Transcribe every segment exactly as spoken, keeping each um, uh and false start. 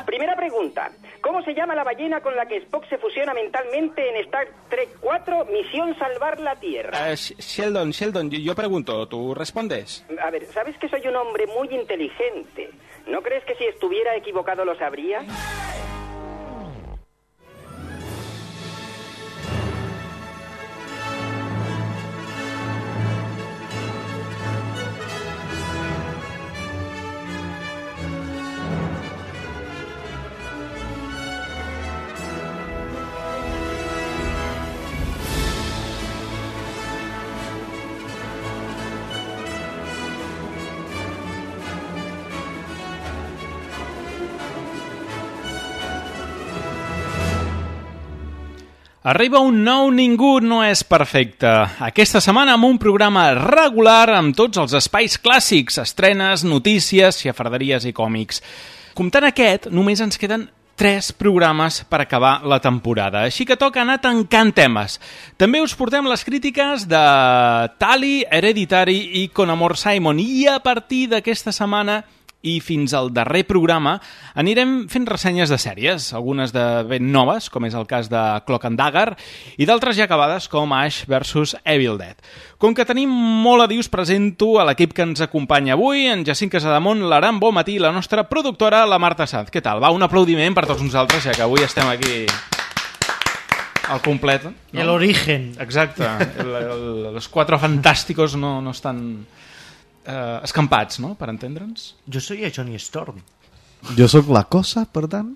Primera pregunta. ¿Cómo se llama la ballena con la que Spock se fusiona mentalmente en Star Trek cuatro, Misión Salvar la Tierra? Uh, Sheldon, Sheldon, yo, yo pregunto, ¿tú respondes? A ver, ¿sabes que soy un hombre muy inteligente? ¿No crees que si estuviera equivocado lo sabría? Arriba un nou Ningú no és perfecte. Aquesta setmana amb un programa regular amb tots els espais clàssics, estrenes, notícies, xafarderies i còmics. Comptant aquest, només ens queden tres programes per acabar la temporada, així que toca anar tancant temes. També us portem les crítiques de Tali, Hereditary i Con Amor Simon, i a partir d'aquesta setmana i fins al darrer programa anirem fent ressenyes de sèries, algunes de ben noves, com és el cas de Cloak and Dagger, i d'altres ja acabades com Ash versus Evil Dead. Com que tenim molt a dir, us presento a l'equip que ens acompanya avui, en Jacint Casademont, l'Aran Bonmatí i la nostra productora, la Marta Sanz. Què tal? Va, un aplaudiment per tots nosaltres, ja que avui estem aquí al complet. No? El origen. Exacte. El, el, los cuatro fantásticos no, no estan... Uh, escampats, no?, per entendre'ns. Jo soy a Johnny Storm. Jo sóc la cosa, per tant.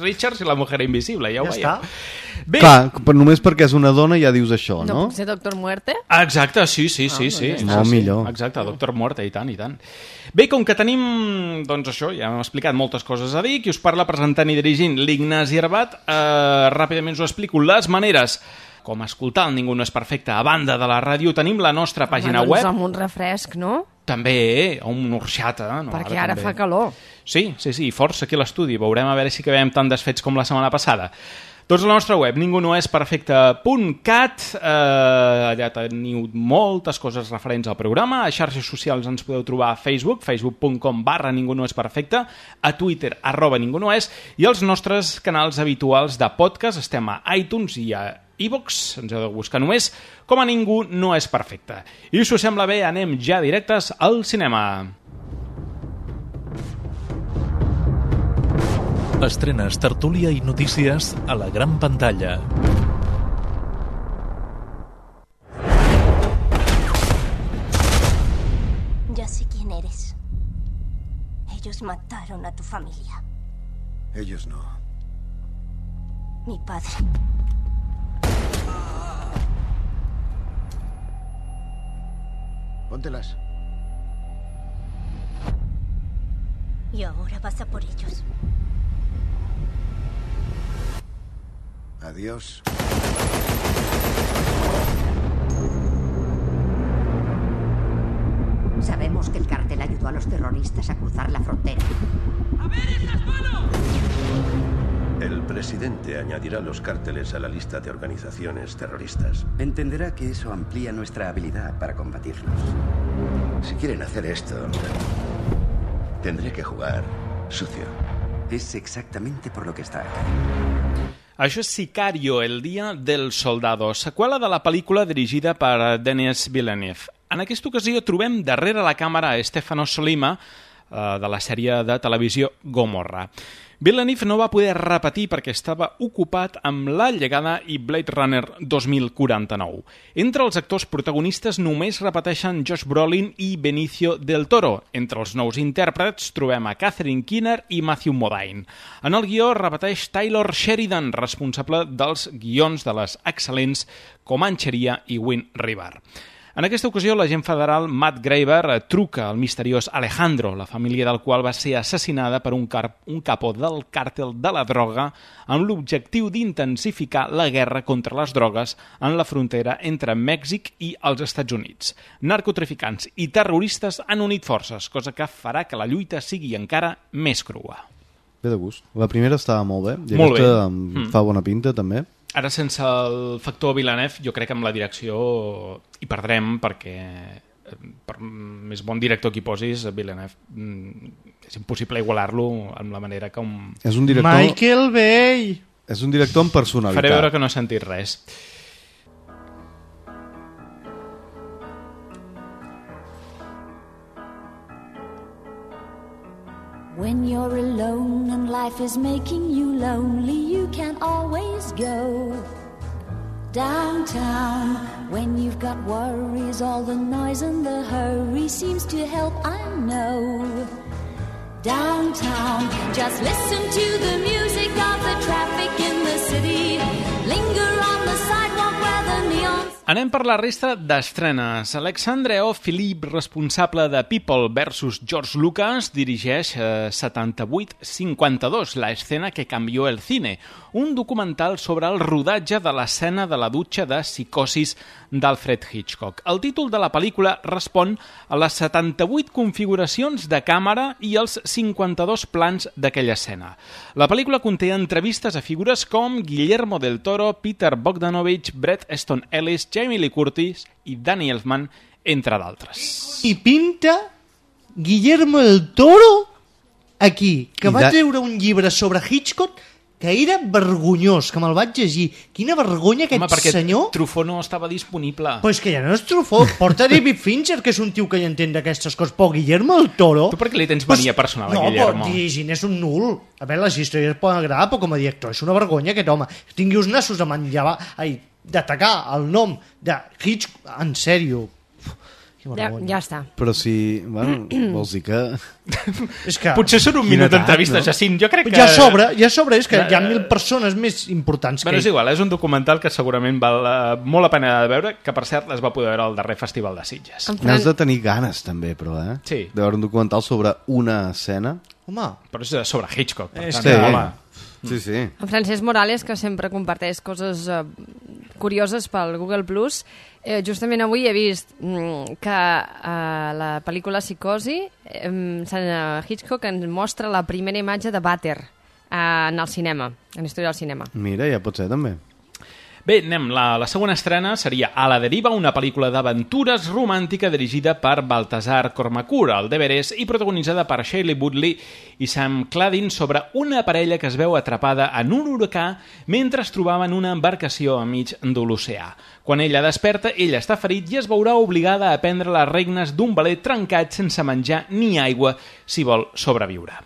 Richards i la mujer invisible, ja ho Ja veieu. està. Bé. Clar, però només perquè és una dona ja dius això, no? No puc ser Doctor Muerte? Exacte, sí, sí, sí. Ah, sí, doncs sí, Molt sí. millor. Exacte, Doctor Muerte, i tant, i tant. Bé, com que tenim, doncs això, ja hem explicat moltes coses a dir, qui us parla presentant i dirigint l'Ignasi Arbat, eh, ràpidament us ho explico les maneres com escoltar el Ningú no és perfecte a banda de la ràdio. Tenim la nostra pàgina Home, doncs web. amb un refresc, no? També, o un orxata. No? Perquè ara, ara també fa calor. Sí, sí, sí, força aquí a l'estudi. Veurem a veure si acabem tan desfets com la setmana passada. Doncs la nostra web, ningú no és perfecte punt cat, eh, allà teniu moltes coses referents al programa. A xarxes socials ens podeu trobar a Facebook, facebook punt com barra ningú no és perfecte, a Twitter, arroba ningú no és, i els nostres canals habituals de podcast. Estem a iTunes i a iVox, ens heu de buscar només com a Ningú no és perfecte. I si us sembla bé, anem ja directes al cinema. Estrenes, tertúlia i notícies a la gran pantalla. Ya sé quién eres. Ellos mataron a tu familia. Ellos no. Mi padre. Póntelas. Y ahora vas a por ellos. Adiós. Sabemos que el cártel ayudó a los terroristas a cruzar la frontera. ¡A ver esas manos! El presidente añadirá los cárteles a la lista de organizaciones terroristas. Entenderá que eso amplía nuestra habilidad para combatirlos. Si quieren hacer esto, tendré que jugar sucio. Es exactamente por lo que está acá. Això és Sicario, el dia del soldado, seqüela de la pel·lícula dirigida per Denis Villeneuve. En aquesta ocasió trobem darrere la càmera a Stefano Sollima, eh, de la sèrie de televisió Gomorra. Villeneuve no va poder repetir perquè estava ocupat amb La llegada i Blade Runner dos mil quaranta-nou. Entre els actors protagonistes només repeteixen Josh Brolin i Benicio del Toro. Entre els nous intèrprets trobem a Catherine Keener i Matthew Modine. En el guió repeteix Taylor Sheridan, responsable dels guions de les excel·lents Comancheria i Wind River. En aquesta ocasió, l'agent federal Matt Graver truca al misteriós Alejandro, la família del qual va ser assassinada per un, car un capó del càrtel de la droga amb l'objectiu d'intensificar la guerra contra les drogues en la frontera entre Mèxic i els Estats Units. Narcotraficants i terroristes han unit forces, cosa que farà que la lluita sigui encara més crua. Bé de gust. La primera estava molt bé, i molt aquesta bé. Mm. fa bona pinta, també. Ara, sense el factor Villeneuve, jo crec que amb la direcció hi perdrem, perquè per més bon director que hi posis, Villeneuve, és impossible igualar-lo amb la manera com... És un director... Michael Bay! És un director amb personalitat. Faré veure que no he sentit res. When you're alone and life is making you lonely, you can always go downtown. When you've got worries, all the noise and the hurry seems to help, I know. Downtown, just listen to the music of the traffic in the city. Linger on the sidewalk where the neon... Anem per la resta d'estrenes. Alexandre O. Philippe, responsable de People versus George Lucas, dirigeix eh, setanta-vuit cinquanta-dos, la escena que cambió el cine, un documental sobre el rodatge de l'escena de la dutxa de Psicosis d'Alfred Hitchcock. El títol de la pel·lícula respon a les setanta-vuit configuracions de càmera i els cinquanta-dos plans d'aquella escena. La pel·lícula conté entrevistes a figures com Guillermo del Toro, Peter Bogdanovich, Bret Easton Ellis, Jamie Lee Curtis i Danny Elfman, entre d'altres. I pinta Guillermo del Toro aquí, que I va da... treure un llibre sobre Hitchcock que era vergonyós, que me'l vaig llegir. Quina vergonya aquest Home, perquè senyor... Truffaut no estava disponible. Pues que ja no és Truffaut, porta David Fincher, que és un tio que hi entén d'aquestes coses, però Guillermo del Toro... Tu per què li tens mania pues... personal a no, Guillermo? No, però dirigint és un nul. A veure, les històries poden agradar, però com a director és una vergonya aquest home. Tingui uns nassos a manllevar... Ai, d'atacar el nom de Hitchcock, en sèrio. Ja, ja està. Però si, bueno, vols dir que... és que... Potser són un minut d'entrevista, no? Jacint, jo crec que... Ja sobre, ja sobre, és que hi ha mil persones més importants que... Bueno, és igual, és un documental que segurament val uh, molt la pena de veure, que per cert es va poder veure al darrer Festival de Sitges. N'has de tenir ganes també, però, eh? Sí. De veure un documental sobre una escena. Home. Però és sobre Hitchcock, per és tant. Sí. Home. Sí, sí. En Francesc Morales, que sempre comparteix coses eh, curioses pel Google Plus, eh, justament avui he vist mm, que eh, la pel·lícula Psicosi, eh, Hitchcock ens mostra la primera imatge de vàter eh, en el cinema, en la història del cinema. Mira, ja pot ser també. Bé, anem. La, la segona estrena seria A la deriva, una pel·lícula d'aventures romàntica dirigida per Baltasar Kormákur, al d'Everest, i protagonitzada per Shailene Woodley i Sam Claflin, sobre una parella que es veu atrapada en un huracà mentre es trobava en una embarcació enmig de l'oceà. Quan ella desperta, ella està ferit i es veurà obligada a prendre les regnes d'un veler trencat sense menjar ni aigua si vol sobreviure.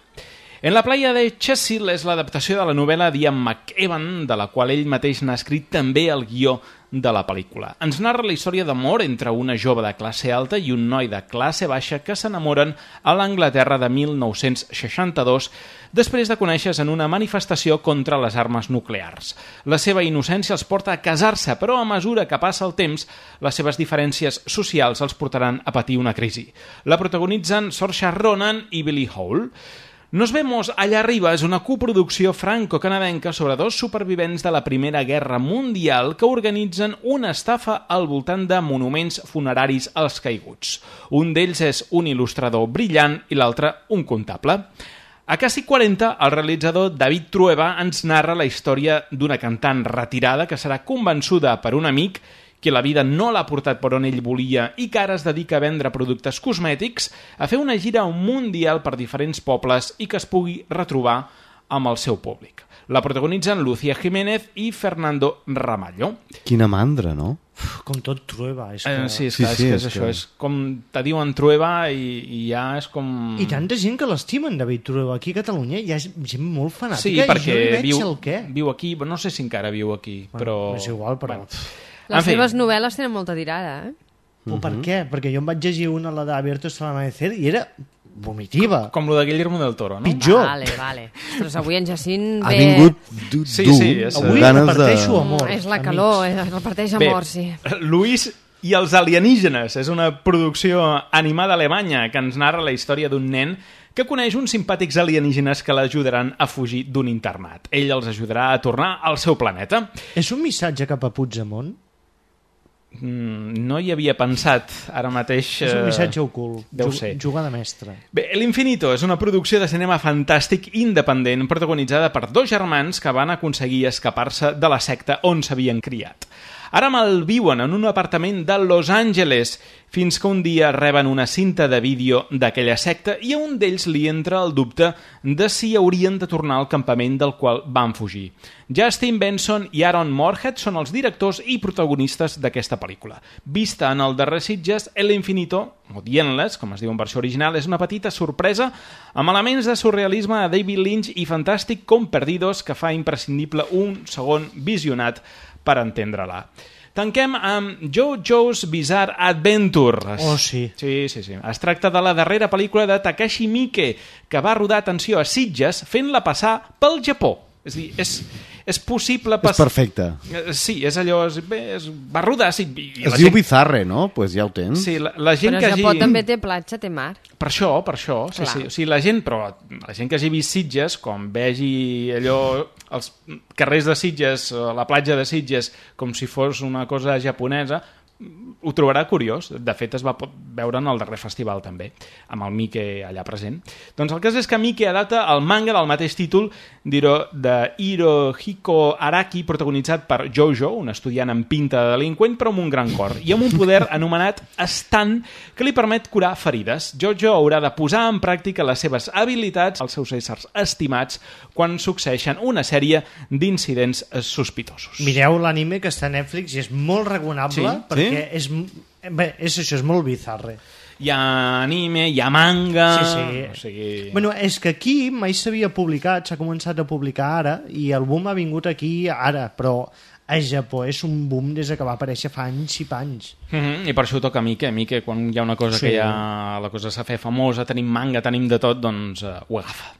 En la playa de Chesil és l'adaptació de la novel·la d'Ian McEwan, de la qual ell mateix n'ha escrit també el guió de la pel·lícula. Ens narra la història d'amor entre una jove de classe alta i un noi de classe baixa que s'enamoren a l'Anglaterra de mil nou-cents seixanta-dos després de conèixer-se en una manifestació contra les armes nuclears. La seva innocència els porta a casar-se, però a mesura que passa el temps, les seves diferències socials els portaran a patir una crisi. La protagonitzen Saoirse Ronan i Billy Hole. Nos vemos allá arriba és una coproducció franco-canadenca sobre dos supervivents de la Primera Guerra Mundial que organitzen una estafa al voltant de monuments funeraris als caiguts. Un d'ells és un il·lustrador brillant i l'altre un comptable. A Casi quaranta, el realitzador David Trueba ens narra la història d'una cantant retirada que serà convençuda per un amic que la vida no l'ha portat per on ell volia i que ara es dedica a vendre productes cosmètics, a fer una gira mundial per diferents pobles i que es pugui retrobar amb el seu públic. La protagonitzen Lucía Jiménez i Fernando Ramallo. Quina mandra, no? Uf, com tot Trueba. És que... eh, sí, és, sí, clar, sí, és, que és és això. que... És com te diuen Trueba i, i ja és com... I tanta gent que l'estimen, David Trueba. Aquí a Catalunya hi ha gent molt fanàtica. Sí, perquè i jo veig viu, el què. viu aquí, no sé si encara viu aquí, bueno, però... És igual, però... Bueno. Les seves novel·les tenen molta tirada, eh? Uh -huh. Per què? Perquè jo em vaig llegir una, la d'Abierto hasta el amanecer, i era vomitiva. Com, com lo de Guillermo del Toro, no? Pitjor. Vale, vale. Ostres, avui en Jacint ha ve... vingut dur. Sí, sí, és... Avui reparteixo amor. Mm, és la calor, es reparteix amor, sí. Luis i els alienígenes és una producció animada alemanya que ens narra la història d'un nen que coneix uns simpàtics alienígenes que l'ajudaran a fugir d'un internat. Ell els ajudarà a tornar al seu planeta. És un missatge cap a Puigdemont? Mm, no hi havia pensat ara mateix. És un missatge ocult. Deu ser. Jugada mestra. Bé, L'Infinito és una producció de cinema fantàstic independent protagonitzada per dos germans que van aconseguir escapar-se de la secta on s'havien criat. Ara malviuen en un apartament de Los Angeles fins que un dia reben una cinta de vídeo d'aquella secta i a un d'ells li entra el dubte de si haurien de tornar al campament del qual van fugir. Justin Benson i Aaron Moorhead són els directors i protagonistes d'aquesta pel·lícula. Vista en el darrer Sitges, El Infinito, o The Endless, com es diu en versió original, és una petita sorpresa amb elements de surrealisme de David Lynch i fantàstic com Perdidos, que fa imprescindible un segon visionat per entendre-la. Tanquem amb JoJo's Bizarre Adventure. Oh, sí. Sí, sí, sí. Es tracta de la darrera pel·lícula de Takashi Miike, que va rodar, atenció, a Sitges, fent-la passar pel Japó. És a dir, és, és possible... Pas... És perfecte. Sí, és allò... És, bé, és, va rodar... Sí, i es la diu gent... Bizarre, no? Doncs pues ja ho tens. Sí, la, la gent però que Japó hagi... també té platja, té mar. Per això, per això. Sí, sí. O sigui, la gent, però la gent que hagi vist Sitges, com vegi allò... els carrers de Sitges, la platja de Sitges, com si fos una cosa japonesa, ho trobarà curiós. De fet, es va veure en el darrer festival també, amb el Miike allà present. Doncs el cas és que Miike adapta el manga del mateix títol de Hirohiko Araki, protagonitzat per Jojo, un estudiant amb pinta de delinqüent però amb un gran cor, i amb un poder anomenat Stan, que li permet curar ferides. Jojo haurà de posar en pràctica les seves habilitats, els seus éssers estimats, quan succeeixen una sèrie d'incidents sospitosos. Mireu l'anime que està a Netflix i és molt recomanable, Sí? perquè Sí? és, bé, és això, és molt bizarre. Hi ha anime, hi ha manga... Sí, sí. O sigui... Bueno, és que aquí mai s'havia publicat, s'ha començat a publicar ara, i el boom ha vingut aquí ara, però a Japó és un boom des que va aparèixer fa anys i panys. Mm-hmm, I per això ho toca a Miike. Miike, quan hi ha una cosa Sí. que ja la cosa s'ha fet famosa, tenim manga, tenim de tot, doncs uh, ho agafa.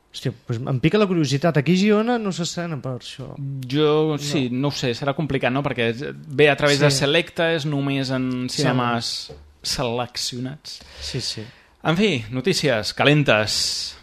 Hòstia, doncs em pica la curiositat. Aquí a Girona no s'estrena per això. Jo, sí, no. no ho sé, serà complicat, no? Perquè ve a través Sí. de Selecta, és només en cinemes seleccionats. Sí, sí. En fi, notícies calentes.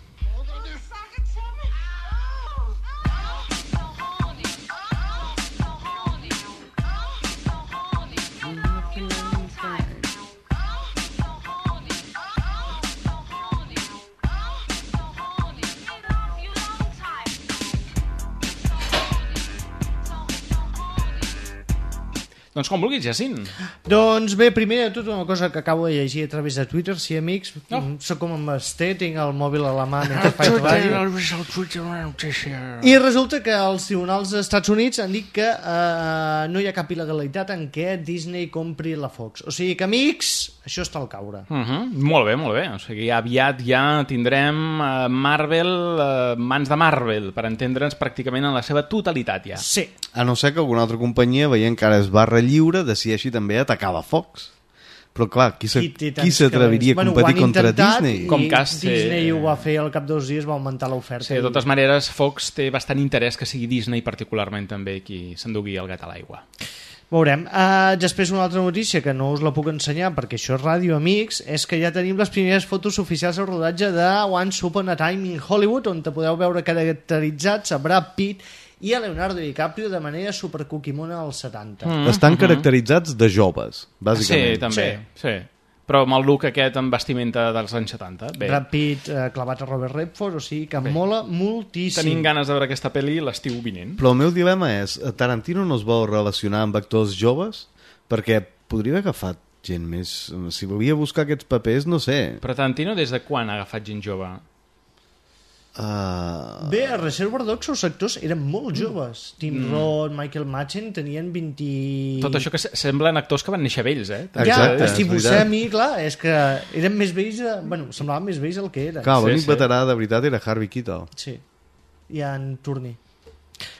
Doncs com vulguis, Jacint. Doncs bé, primer de tot una cosa que acabo de llegir a través de Twitter, sí, amics, no. Soc com en Basté, tinc el mòbil a la mà mentre faig ràdio. I resulta que els tribunals dels Estats Units han dit que uh, no hi ha cap il·legalitat en què Disney compri la Fox. O sigui que, amics, això està al caure. Uh -huh. Molt bé, molt bé. O sigui, aviat ja tindrem uh, Marvel, uh, mans de Marvel, per entendre'ns pràcticament en la seva totalitat ja. Sí. A no ser que alguna altra companyia, veient que ara és barra lliure, decideixi també atacar la Fox. Però clar, qui s'atreviria a competir bueno, contra Disney? Com cas, Disney eh... ho va fer al cap dos dies, va augmentar l'oferta. Sí, de totes i... maneres, Fox té bastant interès que sigui Disney particularment també qui s'endugui el gat a l'aigua. Veurem. Uh, després una altra notícia que no us la puc ensenyar perquè això és ràdio, amics, és que ja tenim les primeres fotos oficials del rodatge de Once Upon a Time in Hollywood, on te podeu veure caracteritzats a Brad Pitt i a Leonardo DiCaprio de manera supercoquimona als setanta. Mm-hmm. Estan caracteritzats de joves, bàsicament. Sí, també, sí. sí. Però amb el look aquest amb vestimenta dels anys setanta. Bé. Brad Pitt eh, clavat a Robert Redford, o sigui que Bé. mola moltíssim. Tenim ganes de veure aquesta pel·li l'estiu vinent. Però el meu dilema és, Tarantino no es vol relacionar amb actors joves? Perquè podria haver agafat gent més... Si volia buscar aquests papers, no sé. Però Tarantino des de quan ha agafat gent jove? Uh... Bé, a Reservoir Dogs els actors eren molt joves. Tim mm. Roth, Michael Madsen tenien vint... Tot això que semblen actors que van néixer vells, eh? Ja, Exacte, Steve Buscemi, clar, és que eren més vells, de... bueno, semblaven més vells el que eren. Clar, l'únic sí, sí. veterà de veritat era Harvey Keitel. Sí, i en Tourney.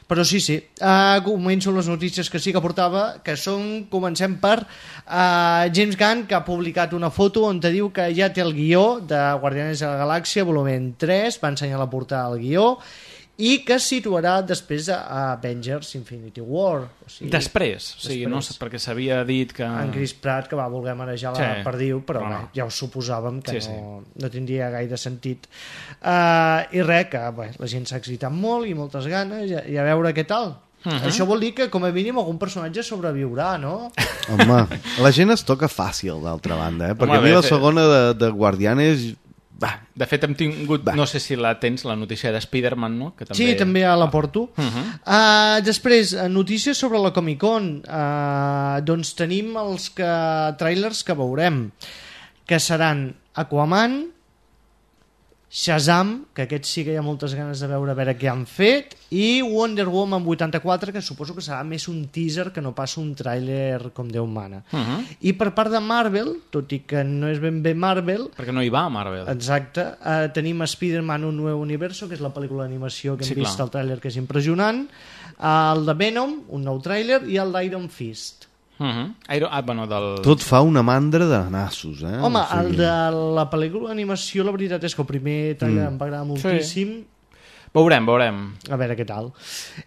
Però sí, sí, uh, començo les notícies que sí que portava, que són, comencem per uh, James Gunn, que ha publicat una foto on te diu que ja té el guió de Guardianes de la Galàxia, volumen tres, va ensenyar la portada al guió, i que es situarà després a Avengers Infinity War. O sigui, després, o sigui, després. No sé, perquè s'havia dit que... En Chris Pratt, que va voler manejar la sí, perdiu, però no, no. ja ho suposàvem que sí, no, sí. no tindria gaire sentit. Uh, I res, que bé, la gent s'ha excitat molt i moltes ganes, i, i a veure què tal. Uh-huh. Això vol dir que, com a mínim, algun personatge sobreviurà, no? Home, la gent es toca fàcil, d'altra banda, eh? Perquè Home, a mi la segona de, de Guardianes Va. De fet, hem tingut, Va. no sé si la tens, la notícia de Spider-Man, no? Que també... Sí, també la porto. Uh -huh. uh, després, notícies sobre la Comic-Con. Uh, doncs tenim els que, trailers que veurem, que seran Aquaman, Shazam, que aquest sí que hi ha moltes ganes de veure a veure què han fet, i Wonder Woman vuitanta-quatre, que suposo que serà més un teaser que no pas un tràiler com Déu mana. Uh -huh. I per part de Marvel, tot i que no és ben bé Marvel... Perquè no hi va a Marvel. Exacte. Eh, tenim Spider-Man Un Nuevo Universo, que és la pel·lícula d'animació que hem sí, vist clar. al tràiler, que és impressionant, el de Venom, un nou tràiler, i el d'Iron Fist. Uh -huh. Iron... ah, bueno, del... Tot fa una mandra de nassos, eh? Home, o sigui... el de la pel·lícula d'animació, la veritat és que el primer tràiler mm. em va agradar moltíssim. Sí. Veurem, veurem. A veure què tal.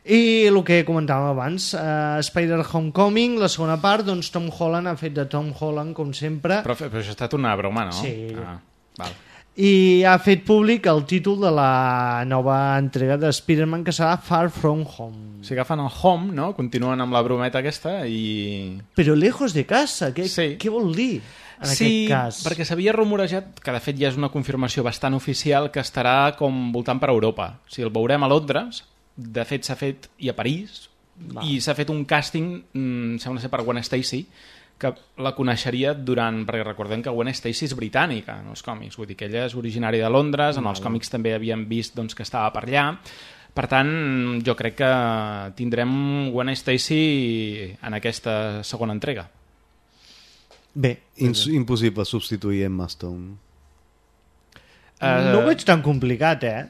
I el que comentàvem abans, uh, Spider Homecoming, la segona part, doncs Tom Holland ha fet de Tom Holland, com sempre. Però, però això ha estat una broma, no? Sí. Ah, val. I ha fet públic el títol de la nova entrega de Spider-Man, que serà Far From Home. O sigui, agafen el Home, no? Continuen amb la brometa aquesta i... Però lejos de casa, què, sí. què vol dir en sí, aquest cas? Sí, perquè s'havia rumorejat, que de fet ja és una confirmació bastant oficial, que estarà com voltant per Europa. O sigui, el veurem a Londres, de fet s'ha fet i a París, Va. i s'ha fet un càsting, mmm, sembla ser per Gwen Stacy, que la coneixeria durant... perquè recordem que Gwen Stacy és britànica en els còmics, vull dir que ella és originària de Londres, en els còmics també havíem vist doncs, que estava per allà, per tant jo crec que tindrem Gwen Stacy en aquesta segona entrega. Bé, Ins impossible substituir Emma Stone. Uh, no ho veig tan complicat, eh?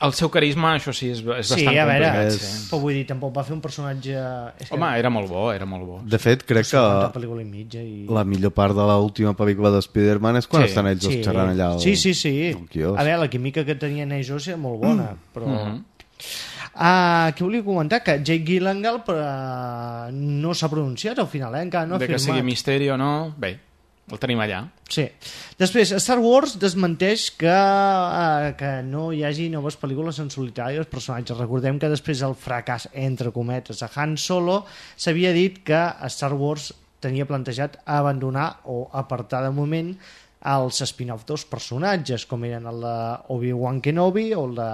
El seu carisma, això sí, és, és sí, bastant a veure, complicat. És... Sí. Però vull dir, tampoc va fer un personatge... És Home, que... era molt bo, era molt bo. De fet, crec que pel·lícula i mitja i... la millor part de l'última pel·lícula de Spider-Man és quan sí. estan ells sí. xerrant allà al... Sí, sí, sí. al a veure, la química que tenien ells dos era molt bona, mm. però... Mm -hmm. Uh, què volia comentar? Que Jake Gyllenhaal uh, no s'ha pronunciat al final, eh? Encara no ha de firmat. Que sigui misteri o no, bé, el tenim allà. Sí. Després, Star Wars desmenteix que, uh, que no hi hagi noves pel·lícules en solitari dels personatges. Recordem que després del fracàs, entre cometes, a Han Solo, s'havia dit que Star Wars tenia plantejat abandonar o apartar de moment els spin-off dels personatges, com eren el de Obi-Wan Kenobi o el de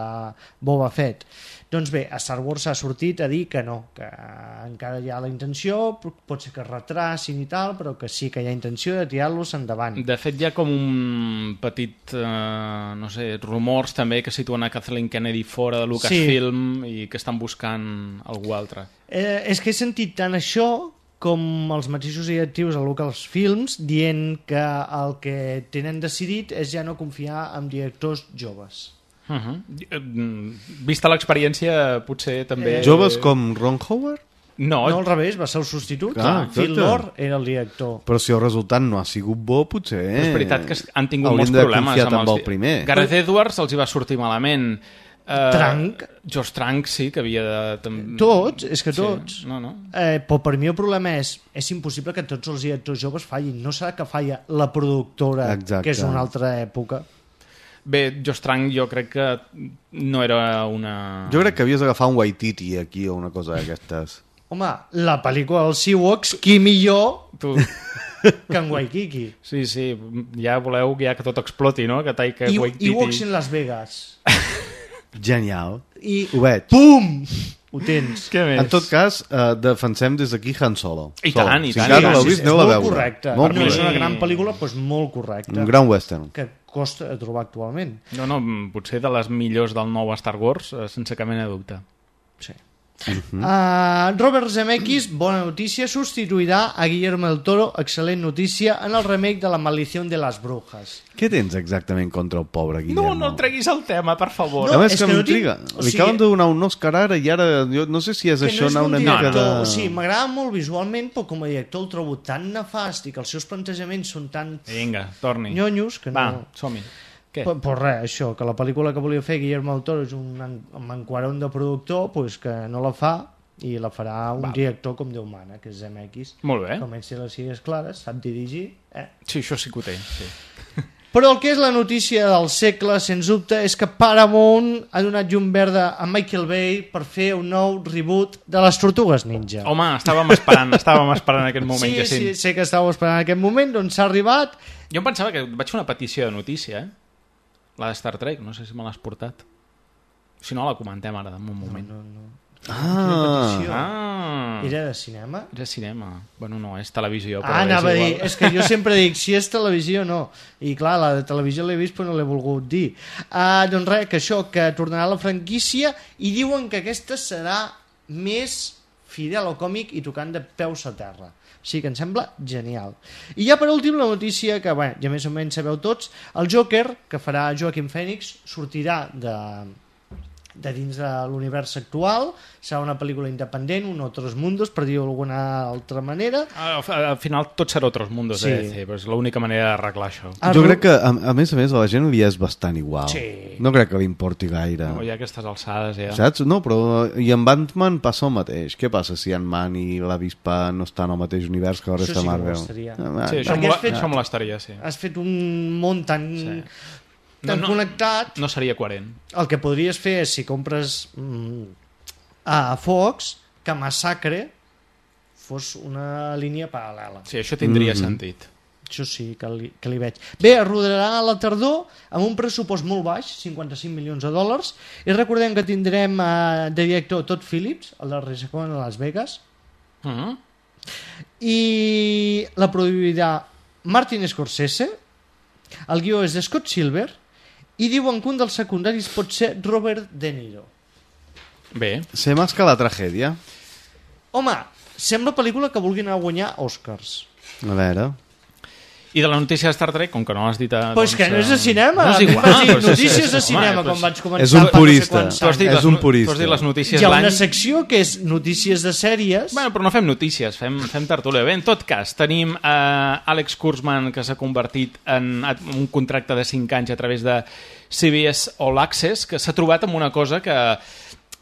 Boba Fett. Doncs bé, a Star Wars s'ha sortit a dir que no, que encara hi ha la intenció, pot ser que es retracin i tal, però que sí que hi ha intenció de tirar-los endavant. De fet, hi ha com un petit, eh, no sé, rumors també que situen a Kathleen Kennedy fora de Lucasfilm sí. i que estan buscant algú altre. Eh, és que he sentit tant això com els mateixos directius a Lucasfilms dient que el que tenen decidit és ja no confiar en directors joves. Uh -huh. Vista l'experiència, potser també... Eh... Joves com Ron Howard? No, no al revés, va ser el substitut. Ah, Phil Lord era el director. Però si el resultat no ha sigut bo, potser... Eh? És veritat que han tingut molts problemes amb, amb el primer. Gareth Edwards els hi va sortir malament. Uh, Trank. George Trank, sí, que havia de... Tam... Tots, és que tots. Sí, no, no. Eh, però per mi el problema és és impossible que tots els directors joves fallin. No serà que falla la productora, Exacte. que és una altra època. Bé, Josh Trank jo crec que no era una... Jo crec que havies d'agafar un Waititi aquí o una cosa d'aquestes. Home, la pel·lícula dels Ewoks, qui millor tu... que en Waikiki. Sí, sí, ja voleu ja que tot exploti, no? Que Taika I, Waititi... Ewoks en Las Vegas. Genial. I ho veig. Pum! Ho tens. Què més? En tot cas, eh, defensem des d'aquí Han Solo. I tant, Solo. i si tant. Si encara sí, no l'heu sí, vist, sí, aneu a veure. Molt correcte. Molt per mi és una correcte. gran pel·lícula, doncs molt correcta. Un gran western. Que costa de trobar actualment. No, no, potser de les millors del nou Star Wars, sense cap mena de dubte. Sí. Uh-huh. uh, Robert Zemeckis, bona notícia, substituirà a Guillermo del Toro, excel·lent notícia, en el remake de La maldición de las brujas. Què tens exactament contra el pobre Guillermo? No, no treguis el tema, per favor. No, no és que, que m'intriga. No tinc... Li sigui... acaben de donar un Oscar ara i ara jo no sé si és que això no anar una director, mica de... O sigui, m'agrada molt visualment, però com a director el trobo tan nefast i que els seus plantejaments són tan... Vinga, torni. Nyonyos que no... Va, som-hi. Però, però res, això, que la pel·lícula que volia fer Guillermo del Toro és un manquarón de productor, pues que no la fa i la farà un Va. director com Déu mana, que és Zemeckis. Molt bé. Comença les idees clares, sap dirigir. Eh? Sí, això sí que ho té, sí. Però el que és la notícia del segle, sens dubte, és que Paramount ha donat llum verda a Michael Bay per fer un nou reboot de les Tortugues Ninja. Home, estàvem esperant, estàvem esperant aquest moment. Sí, que sí, sé que estàveu esperant aquest moment, doncs s'ha arribat. Jo em pensava que vaig fer una petició de notícia, eh? La de Star Trek, no sé si me l'has portat. Si no, la comentem ara, en un moment. No, no, no. Ah, ah. Era de cinema? Era de cinema. Bueno, no, és televisió. Però ah, anava a dir, és que jo sempre dic, si és televisió, no. I clar, la de televisió l'he vist, però no l'he volgut dir. Uh, doncs res, que això, que tornarà a la franquícia, i diuen que aquesta serà més fidel al còmic i tocant de peus a terra. O sigui que em sembla genial. I ja per últim la notícia que, bueno, ja més o menys sabeu tots, el Joker, que farà Joaquin Phoenix, sortirà de... de dins de l'univers actual, serà una pel·lícula independent, un Otros Mundos, per dir-ho d'alguna altra manera. Al, al final tot serà Otros Mundos, sí. eh? Però és l'única manera d'arreglar això. Jo crec que, a, a més a més, a la gent li és bastant igual. Sí. No crec que li importi gaire. No, ja aquestes alçades, ja. Saps? No, però... I amb Ant-Man passa el mateix. Què passa si Ant-Man i l'avispa no estan al mateix univers que la resta de Marvel? Això sí que molestaria. Sí, això, mola, fet, això molestaria, sí. Has fet un món tan... Sí. tan no, no, connectat... No seria coherent. El que podries fer és, si compres mm, a Fox, que Massacre fos una línia paral·lela. Sí, això tindria mm-hmm. sentit. Això sí, que li, que li veig. Bé, es rodarà a la tardor amb un pressupost molt baix, cinquanta-cinc milions de dòlars, i recordem que tindrem eh, de director Todd Phillips, el de Resecon a Las Vegas, mm-hmm. i la produirà Martin Scorsese, el guió és de Scott Silver, i diuen que un dels secundaris pot ser Robert De Niro. Bé. Sé més que la tragèdia. Home, sembla pel·lícula que vulguin anar a guanyar Oscars. A veure... I de la notícia de Star Trek, com que no has dit... A, pues doncs, que no és de cinema. No és igual. Vas dir Pues notícies és, de cinema, home, com vaig començar. És un purista. No sé tu has dit, és les, un purista. Tu has dit les notícies Hi ha l'any... una secció que és notícies de sèries. Bueno, però no fem notícies, fem, fem tertúlia. Bé, en tot cas, tenim uh, Alex Kurtzman, que s'ha convertit en, en un contracte de cinc anys a través de C B S All Access, que s'ha trobat amb una cosa que...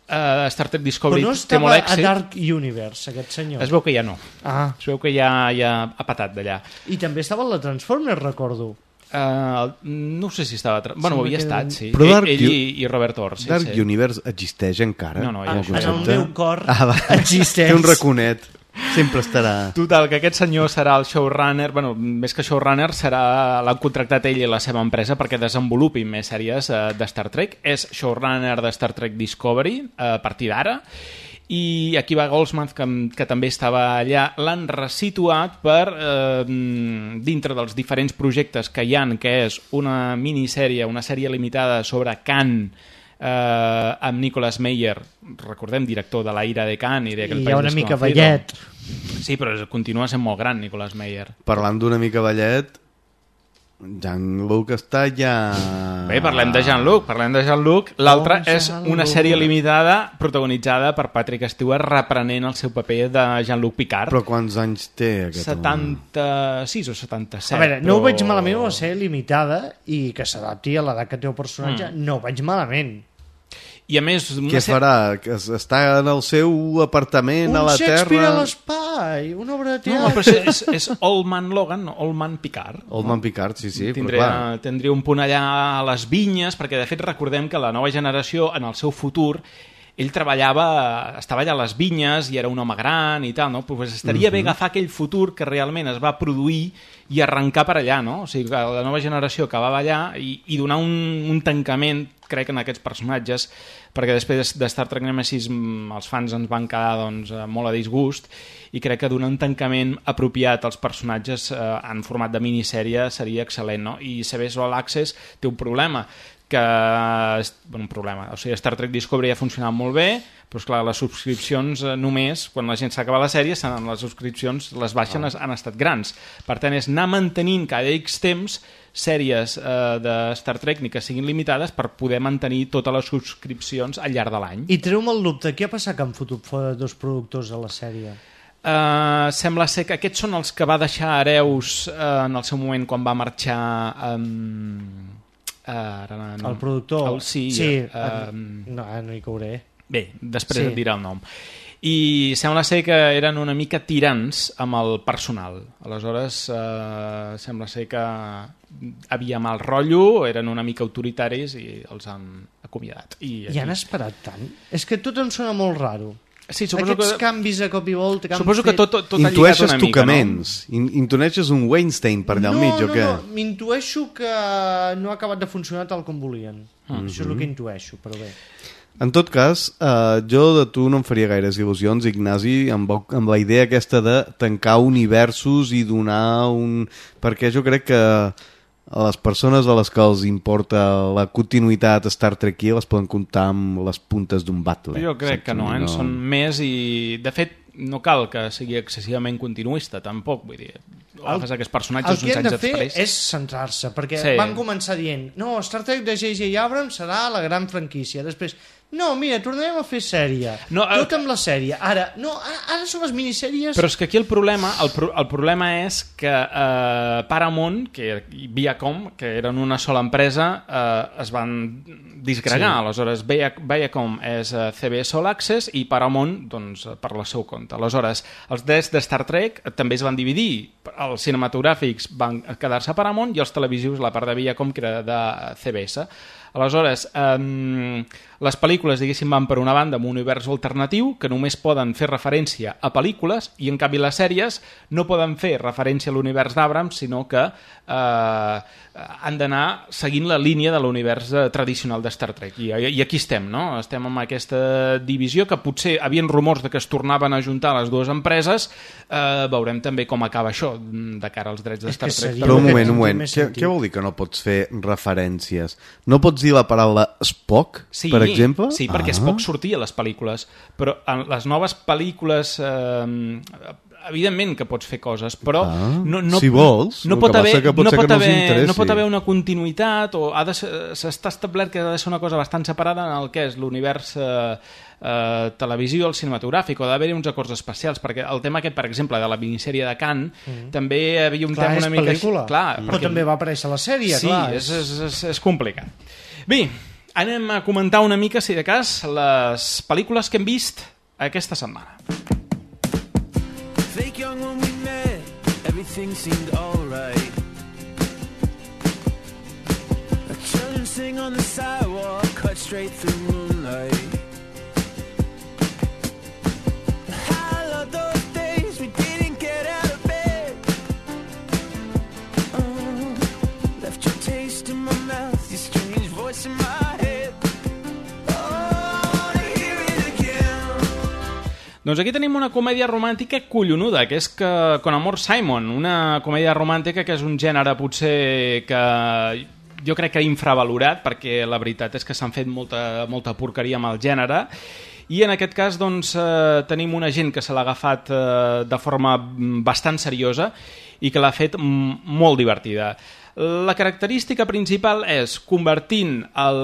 Uh, Star Trek Discovery però no té molt èxit. A Dark Universe, aquest senyor. Es veu que ja no. Ah. Es veu que ja, ja ha patat d'allà. I també estava en la Transformers, recordo. Uh, no sé si estava... Tra... Bueno, havia estat, sí. Però Dark ell, ell i, i Robert Orr. Sí, Dark sí. Universe existeix encara? No, no, ja ah, en el meu cor ah, existeix. Té un raconet. Sempre estarà... Total, que aquest senyor serà el showrunner, bueno, més que showrunner, serà l'han contractat ell i la seva empresa perquè desenvolupin més sèries uh, de Star Trek. És showrunner de Star Trek Discovery uh, a partir d'ara, i aquí va Goldsmith, que, que també estava allà, l'han resituat per eh, dintre dels diferents projectes que hi han, que és una minissèrie, una sèrie limitada sobre Khan, eh, amb Nicolas Meyer, recordem, director de La ira de Khan i d'aquell país hi ha una mica vellet. Sí, però continua sent molt gran Nicolas Meyer. Parlant d'una mica vellet, Jean-Luc està ja... Bé, parlem de Jean-Luc, parlem de Jean-Luc. L'altra oh, és una sèrie limitada protagonitzada per Patrick Stewart reprenent el seu paper de Jean-Luc Picard. Però quants anys té aquest setanta-sis o setanta-set. A veure, però... no ho veig malament la sèrie limitada i que s'adapti a l'edat que té el personatge, mm. no ho veig malament. I a més... Què ser... farà? Que està en el seu apartament un a la Terra? Un Shakespeare a l'espai, una obra de teatre. No, però és, és Old Man Logan, no? Old Man Picard. Old Man Picard, sí, sí. Tindria, però tindria un punt allà a les vinyes, perquè de fet recordem que la nova generació, en el seu futur, ell treballava, estava allà a les vinyes i era un home gran i tal, no? Pues estaria uh-huh. bé agafar aquell futur que realment es va produir i arrencar per allà, no? O sigui, que la nova generació acabava allà i, i donar un, un tancament, crec, en aquests personatges, perquè després de Star Trek Nemesis els fans ens van quedar doncs, molt a disgust, i crec que donar un tancament apropiat als personatges eh, en format de minissèrie seria excel·lent, no? I C B S All Access té un problema, que bueno, un problema, o sigui, Star Trek Discovery ha funcionat molt bé, però esclar, les subscripcions eh, només, quan la gent s'acaba la sèrie, les subscripcions, les baixen, oh. han estat grans. Per tant, és anar mantenint cada X temps sèries eh, de Star Trek, ni que siguin limitades, per poder mantenir totes les subscripcions al llarg de l'any. I treu-me el dubte, què ha passat que han fotut fora dos productors a la sèrie? Uh, sembla ser que aquests són els que va deixar hereus uh, en el seu moment quan va marxar... Um... Uh, ara, no. El productor? El, sí, sí uh, no, no hi cauré. Bé, després sí. et dirà el nom. I sembla ser que eren una mica tirants amb el personal. Aleshores, uh, sembla ser que havia mal rotllo, eren una mica autoritaris i els han acomiadat. I, aquí... I han esperat tant? És que tot em sona molt raro. Sí, suposo Aquests que... canvis a cop i volta que suposo han que tot, tot, tot ha lligat intueixes una mica, tocaments, no? Intueixes un Weinstein per allà al no, mig, o no, què? No, no, m'intueixo que no ha acabat de funcionar tal com volien. Mm-hmm. Això és el que intueixo, però bé. En tot cas, eh, jo de tu no em faria gaires il·lusions, Ignasi, amb, amb la idea aquesta de tancar universos i donar un... Perquè jo crec que a les persones a les que els importa la continuïtat Star Trek les poden comptar amb les puntes d'un batle. Jo crec que no, eh? no, són més i... De fet, no cal que sigui excessivament continuista, tampoc, vull dir... Agafes aquests personatges uns anys després. El que han de fer és centrar-se, perquè sí. van començar dient no, Star Trek de J J Abrams serà la gran franquícia. Després, no, mira, tornarem a fer sèrie. No, el... Tot amb la sèrie. Ara, no, ara són les minissèries... Però és que aquí el problema el, pro el problema és que eh, Paramount, que Viacom, que eren una sola empresa, eh, es van disgregar. Sí. Aleshores, Viacom és eh, C B S All Access i Paramount, doncs, per la seu compte. Aleshores, els drets de Star Trek també es van dividir. Els cinematogràfics van quedar-se a Paramount i els televisius, la part de Viacom, que era de C B S. Aleshores, eh, les pel·lícules, diguéssim, van per una banda amb un univers alternatiu que només poden fer referència a pel·lícules i, en canvi, les sèries no poden fer referència a l'univers d'Abrams, sinó que eh, han d'anar seguint la línia de l'univers eh, tradicional de Star Trek. I, I aquí estem, no? Estem amb aquesta divisió que potser havien rumors de que es tornaven a juntar les dues empreses. Eh, veurem també com acaba això de cara als drets de Star Trek. Però un moment, un moment. Què, què vol dir que no pots fer referències? No pots dir la paraula Spock, sí, per exemple? Sí, perquè ah. Spock sortia a les pel·lícules, però en les noves pel·lícules eh, evidentment que pots fer coses, però ah, no, no, si vols, no, pot haver, pot no, pot no, haver, no pot haver una continuïtat, o s'està establert que ha de ser una cosa bastant separada en el que és l'univers eh, eh, televisió, el cinematogràfic, o d'haver-hi uns acords especials, perquè el tema aquest, per exemple, de la minissèrie de Cannes, mm. també hi havia un clar, tema una mica... Pel·lícula. Clar, mm. Però també va aparèixer a la sèrie, sí, clar. Sí, és, és, és, és complicat. Bé, anem a comentar una mica, si de cas, les pel·lícules que hem vist aquesta setmana. Fake young when we met, everything seemed alright. Children sing on the sidewalk, cut straight through moonlight. I love those days we didn't get out of bed. Oh, left your taste in my mouth, your strange voice in my head. Doncs aquí tenim una comèdia romàntica collonuda, que és que Con Amor Simon, una comèdia romàntica que és un gènere potser que jo crec que infravalorat, perquè la veritat és que s'han fet molta, molta porqueria amb el gènere, i en aquest cas doncs, eh, tenim una gent que se l'ha agafat eh, de forma bastant seriosa i que l'ha fet molt divertida. La característica principal és convertint el,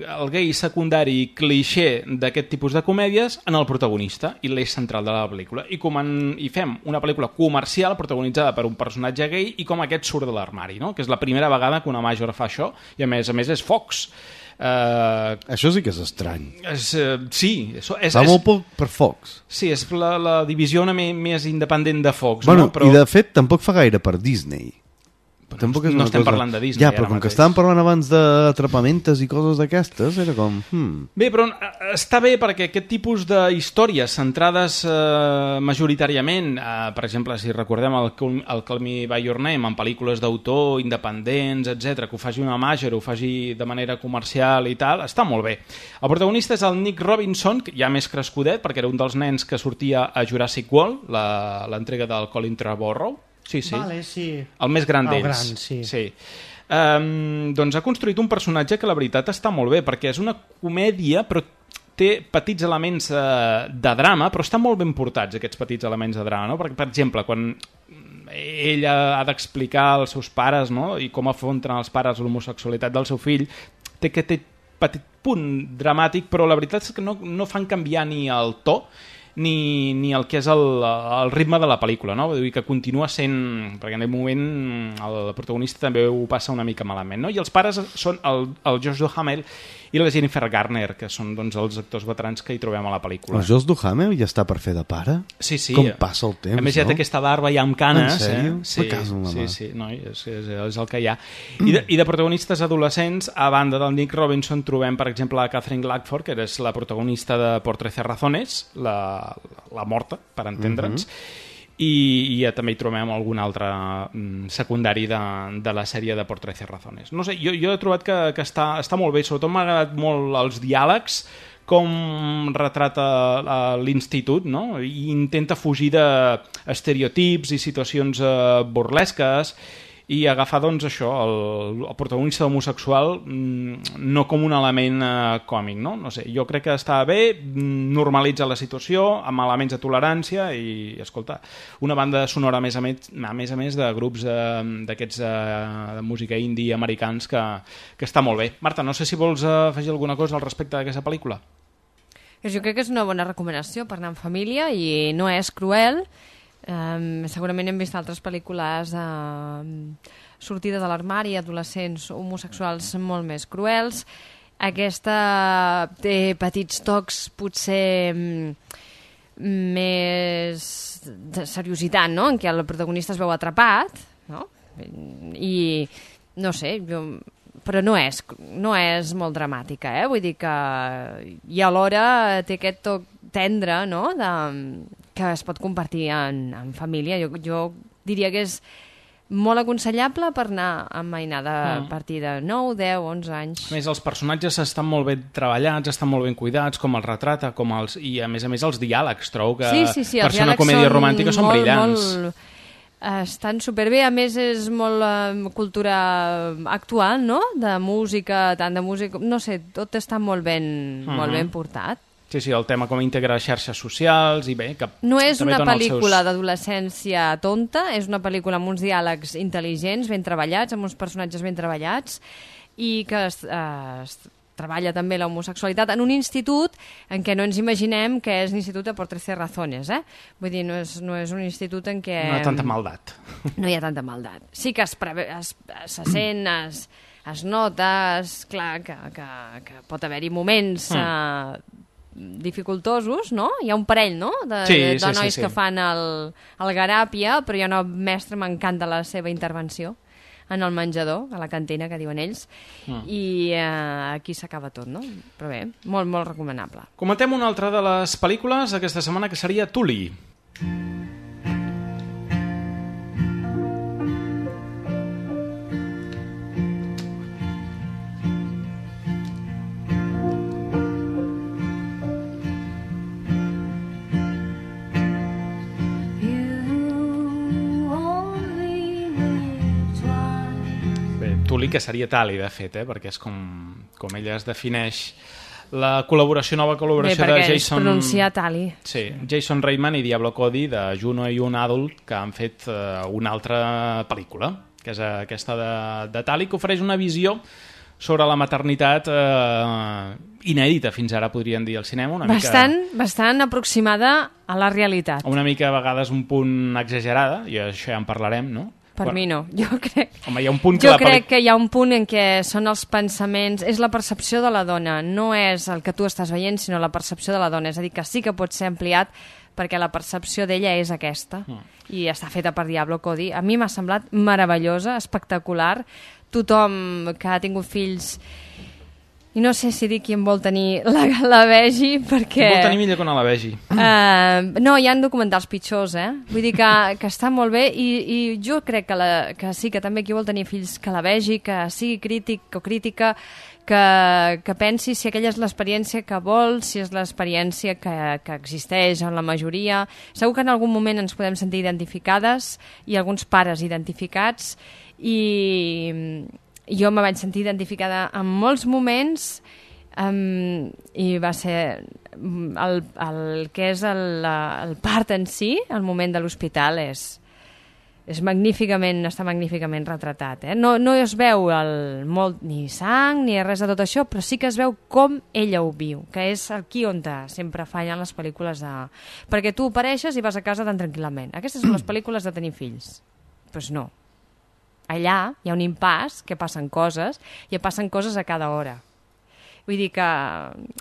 el gay secundari clixé d'aquest tipus de comèdies en el protagonista i l'eix central de la pel·lícula. I, com en, i fem una pel·lícula comercial protagonitzada per un personatge gay i com aquest surt de l'armari, no? Que és la primera vegada que una major fa això i a més a més és Fox. Uh, això sí que és estrany. És, uh, sí. És, és, Va molt poc per Fox. Sí, és la, la divisió una més independent de Fox. Bueno, no? Però... I de fet tampoc fa gaire per Disney. Tampoc és no estem cosa... parlant de Disney. Ja, però com mateix. Que estàvem parlant abans d'atrapamentes i coses d'aquestes, era com... Hmm. Bé, però està bé perquè aquest tipus de històries centrades eh, majoritàriament, eh, per exemple, si recordem el, el Call Me By Your Name, en pel·lícules d'autor, independents, etcètera, que ho faci una major, ho faci de manera comercial i tal, està molt bé. El protagonista és el Nick Robinson, ja més crescudet, perquè era un dels nens que sortia a Jurassic World, l'entrega del Colin Trevorrow. Sí, sí. Vale, sí. El més gran d'ells. El gran, sí. sí. Um, doncs ha construït un personatge que la veritat està molt bé, perquè és una comèdia, però té petits elements uh, de drama, però estan molt ben portats, aquests petits elements de drama, no? Perquè, per exemple, quan ella ha d'explicar als seus pares, no? I com afronten els pares l'homosexualitat del seu fill, té que té petit punt dramàtic, però la veritat és que no, no fan canviar ni el to, Ni, ni el que és el, el ritme de la pel·lícula, no? Vull dir que continua sent, perquè en aquell moment el protagonista també ho passa una mica malament, no? I els pares són el, el Josh Duhamel i la Jennifer Garner, que són doncs, els actors veterans que hi trobem a la pel·lícula. El Josh Duhamel ja està per fer de pare? Sí, sí. Com passa el temps, a més, ja té no? aquesta barba ja amb canes. En sèrio? Eh? Sí, sí, sí, sí, no, és, és, és el que hi ha. I de, I de protagonistes adolescents, a banda del Nick Robinson, trobem, per exemple, a Catherine Blackford, que és la protagonista de Por trece razones, la, la morta, per entendre'ns, uh-huh. I, i ja també hi trobem algun altre mm, secundari de, de la sèrie de Por trece razones. No sé, jo, jo he trobat que, que està, està molt bé, sobretot m'ha agradat molt els diàlegs, com retrata l'institut, no? I intenta fugir d'estereotips i situacions eh, burlesques, i agafar, doncs, això, el, el protagonista homosexual no com un element eh, còmic, no? No sé, jo crec que està bé, normalitza la situació, amb elements de tolerància i, escolta, una banda sonora a més a més, a més, a més de grups d'aquests de, de música indie americans que, que està molt bé. Marta, no sé si vols afegir alguna cosa al respecte d'aquesta pel·lícula. Jo crec que és una bona recomanació per anar en família i no és cruel. Um, segurament hem vist altres pel·lícules uh, sortida de l'armari, adolescents homosexuals molt més cruels. Aquesta té petits tocs potser um, més de seriositat, no? En què el protagonista es veu atrapat, no? I no sé, jo... però no és, no és molt dramàtica, eh? Vull dir que i alhora té aquest toc tendre, no? De, que es pot compartir en, en família. Jo, jo diria que és molt aconsellable per anar amb mainada a mm. partir de nou, deu, onze anys. A més, els personatges estan molt ben treballats, estan molt ben cuidats, com els retrata, com els... i a més a més els diàlegs, trobo que sí, sí, sí, per ser una comèdia romàntica són molt, brillants. Molt... Estan superbé, a més és molt uh, cultura actual, no? De música, tant de música... No sé, tot està molt ben, uh-huh. molt ben portat. Sí, sí, el tema com integra xarxes socials i bé... Que no és una pel·lícula seus... d'adolescència tonta, és una pel·lícula amb uns diàlegs intel·ligents, ben treballats, amb uns personatges ben treballats, i que es, uh, es treballa també la homosexualitat en un institut en què no ens imaginem que és l'institut de Por trece razones, eh? Vull dir, no és, no és un institut en què... No hi ha tanta maldat. No hi ha tanta maldat. Sí que es, preve, es, se sent, es, es nota, es, clar, que, que, que pot haver-hi moments mm. uh, dificultosos, no? Hi ha un parell, no?, de, sí, de, de sí, nois sí, sí. que fan el, el garàpia, però hi ha una mestra, m'encanta la seva intervenció en el menjador, a la cantina, que diuen ells, mm. i eh, aquí s'acaba tot, no? Però bé, molt, molt recomanable. Comentem una altra de les pel·lícules aquesta setmana, que seria Tully. Tully, que seria Tali, de fet, eh? Perquè és com, com ella es defineix. La col·laboració, nova col·laboració Bé, de Jason... Bé, pronunciar Tali. Sí, Jason Reitman i Diablo Cody, de Juno i un Adult, que han fet uh, una altra pel·lícula, que és aquesta de, de Tali, que ofereix una visió sobre la maternitat eh, inèdita, fins ara podríem dir al cinema. Una bastant, mica, bastant aproximada a la realitat. Una mica a vegades un punt exagerada, i això ja en parlarem, no? Per bueno, mi no, jo crec... Home, hi ha un punt que jo la crec pel·li... que hi ha un punt en què són els pensaments, és la percepció de la dona, no és el que tu estàs veient, sinó la percepció de la dona. És a dir, que sí que pot ser ampliat perquè la percepció d'ella és aquesta. Mm. I està feta per Diablo Cody. A mi m'ha semblat meravellosa, espectacular. Tothom que ha tingut fills... I no sé si dir qui em vol tenir la, la vegi, perquè... Vol tenir millor que no la vegi. Uh, no, hi ha documentals pitjors, eh? Vull dir que, que està molt bé i, i jo crec que, la, que sí, que també qui vol tenir fills que la vegi, que sigui crític o crítica, que, que pensi si aquella és l'experiència que vol, si és l'experiència que, que existeix en la majoria. Segur que en algun moment ens podem sentir identificades i alguns pares identificats i... Jo me vaig sentir identificada en molts moments um, i va ser el, el que és el, el part en si, el moment de l'hospital, és, és magníficament, està magníficament retratat. Eh? No, no es veu el, molt, ni sang ni res de tot això, però sí que es veu com ella ho viu, que és aquí on sempre fallen les pel·lícules de... Perquè tu apareixes i vas a casa tan tranquil·lament. Aquestes són les pel·lícules de tenir fills. Doncs pues no. Allà hi ha un impàs, que passen coses, i passen coses a cada hora. Vull dir que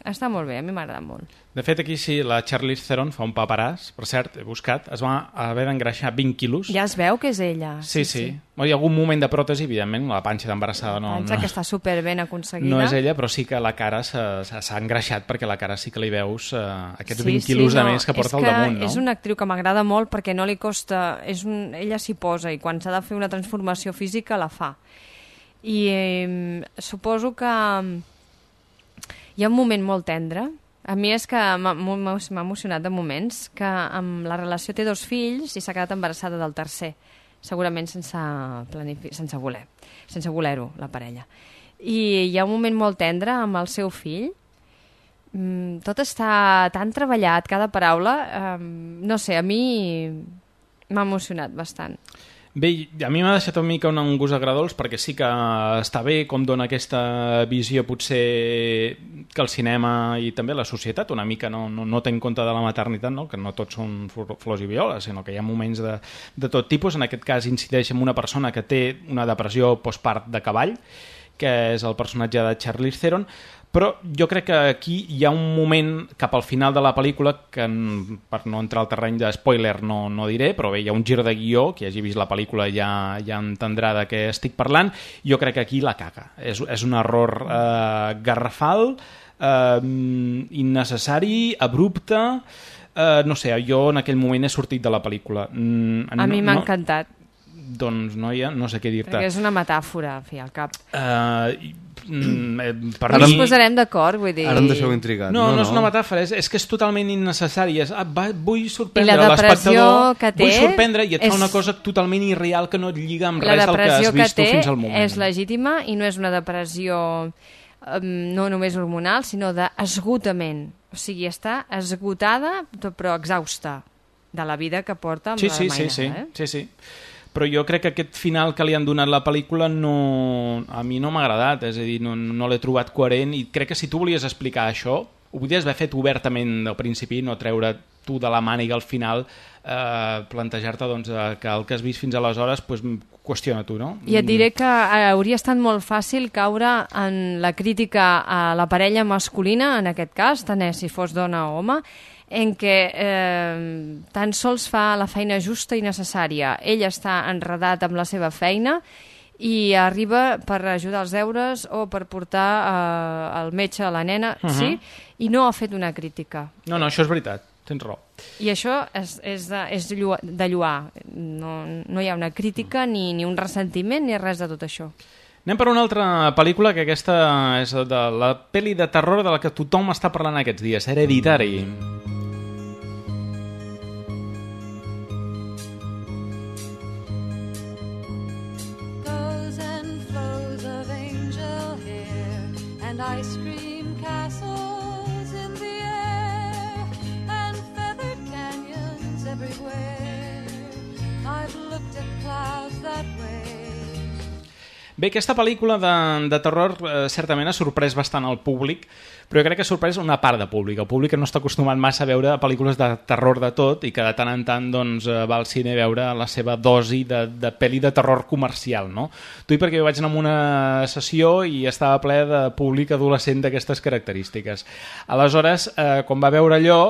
està molt bé, a mi m'ha agradat molt. De fet, aquí sí, la Charlize Theron fa un paperàs, per cert, he buscat, es va haver d'engreixar vint quilos. Ja es veu que és ella. Sí, sí. sí. sí. Hi ha algun moment de pròtesi, evidentment, la panxa d'embarassada no... Panxa no, que està superben aconseguida. No és ella, però sí que la cara s'ha engreixat, perquè la cara sí que li veus eh, aquests vint sí, quilos sí, de no, més que porta al damunt, no? És una actriu que m'agrada molt perquè no li costa... És un... Ella s'hi posa i quan s'ha de fer una transformació física la fa. I eh, suposo que hi ha un moment molt tendre. A mi és que m'ha emocionat de moments que amb la relació té dos fills i s'ha quedat embarassada del tercer, segurament sense, planific... sense voler, sense voler-ho, la parella. I hi ha un moment molt tendre amb el seu fill. Tot està tan treballat, cada paraula, eh, no sé, a mi m'ha emocionat bastant. Bé, a mi m'ha deixat una mica un gust agradolç perquè sí que està bé com dona aquesta visió potser que el cinema i també la societat una mica no, no, no té en compte de la maternitat, no? Que no tots són flors i violes, sinó que hi ha moments de, de tot tipus. En aquest cas incideix en una persona que té una depressió postpart de cavall, que és el personatge de Charlize Theron, però jo crec que aquí hi ha un moment cap al final de la pel·lícula que, per no entrar al terreny de spoiler no, no diré, però bé, hi ha un gir de guió, qui hagi vist la pel·lícula ja, ja entendrà de què estic parlant. Jo crec que aquí la caga. És, és un error eh, garrafal, eh, innecessari, abrupte, eh, no sé, jo en aquell moment he sortit de la pel·lícula. Mm, a mi m'ha no, encantat. Doncs, noia, no sé què dir-te. Perquè és una metàfora, al fi, al cap. Uh, mm, per ara mi... ens posarem d'acord, vull dir... Ara em deixeu intrigat. No, no, no, no és una metàfora, és, és que és totalment innecessari. És, ah, va, vull sorprendre l'espectador, vull sorprendre i et és... fa una cosa totalment irreal que no et lliga amb res del que has vist tu fins al moment. La depressió que té és legítima i no és una depressió um, no només hormonal, sinó d'esgotament. O sigui, està esgotada però exhausta de la vida que porta amb sí, la sí, mainada. Sí, sí, eh? sí, sí. Però jo crec que aquest final que li han donat la pel·lícula no, a mi no m'ha agradat, és a dir, no, no l'he trobat coherent i crec que si tu volies explicar això, ho podries haver fet obertament al principi, no treure tu de la màniga al final, eh, plantejar-te doncs, que el que has vist fins aleshores pues, qüestiona tu, no? I et diré que hauria estat molt fàcil caure en la crítica a la parella masculina, en aquest cas, tant és si fos dona o home, en què eh, tan sols fa la feina justa i necessària. Ell està enredat amb la seva feina i arriba per ajudar als deures o per portar eh, el metge a la nena, uh-huh. sí, i no ha fet una crítica. No, no, això és veritat, tens raó. I això és, és, de, és de lluar. No, no hi ha una crítica, ni, ni un ressentiment, ni res de tot això. Anem per una altra pel·lícula, que aquesta és de la pel·li de terror de la que tothom està parlant aquests dies, Hereditary. Ice cream castles in the air and feathered canyons everywhere. I've looked at clouds that way. Bé, aquesta pel·lícula de, de terror eh, certament ha sorprès bastant al públic, però jo crec que ha sorprès una part de públic. El públic no està acostumat massa a veure pel·lícules de terror de tot i que de tant en tant doncs, va al cine a veure la seva dosi de, de pel·li de terror comercial, no? Tu i perquè jo vaig anar a una sessió i estava ple de públic adolescent d'aquestes característiques. Aleshores, eh, quan va veure allò,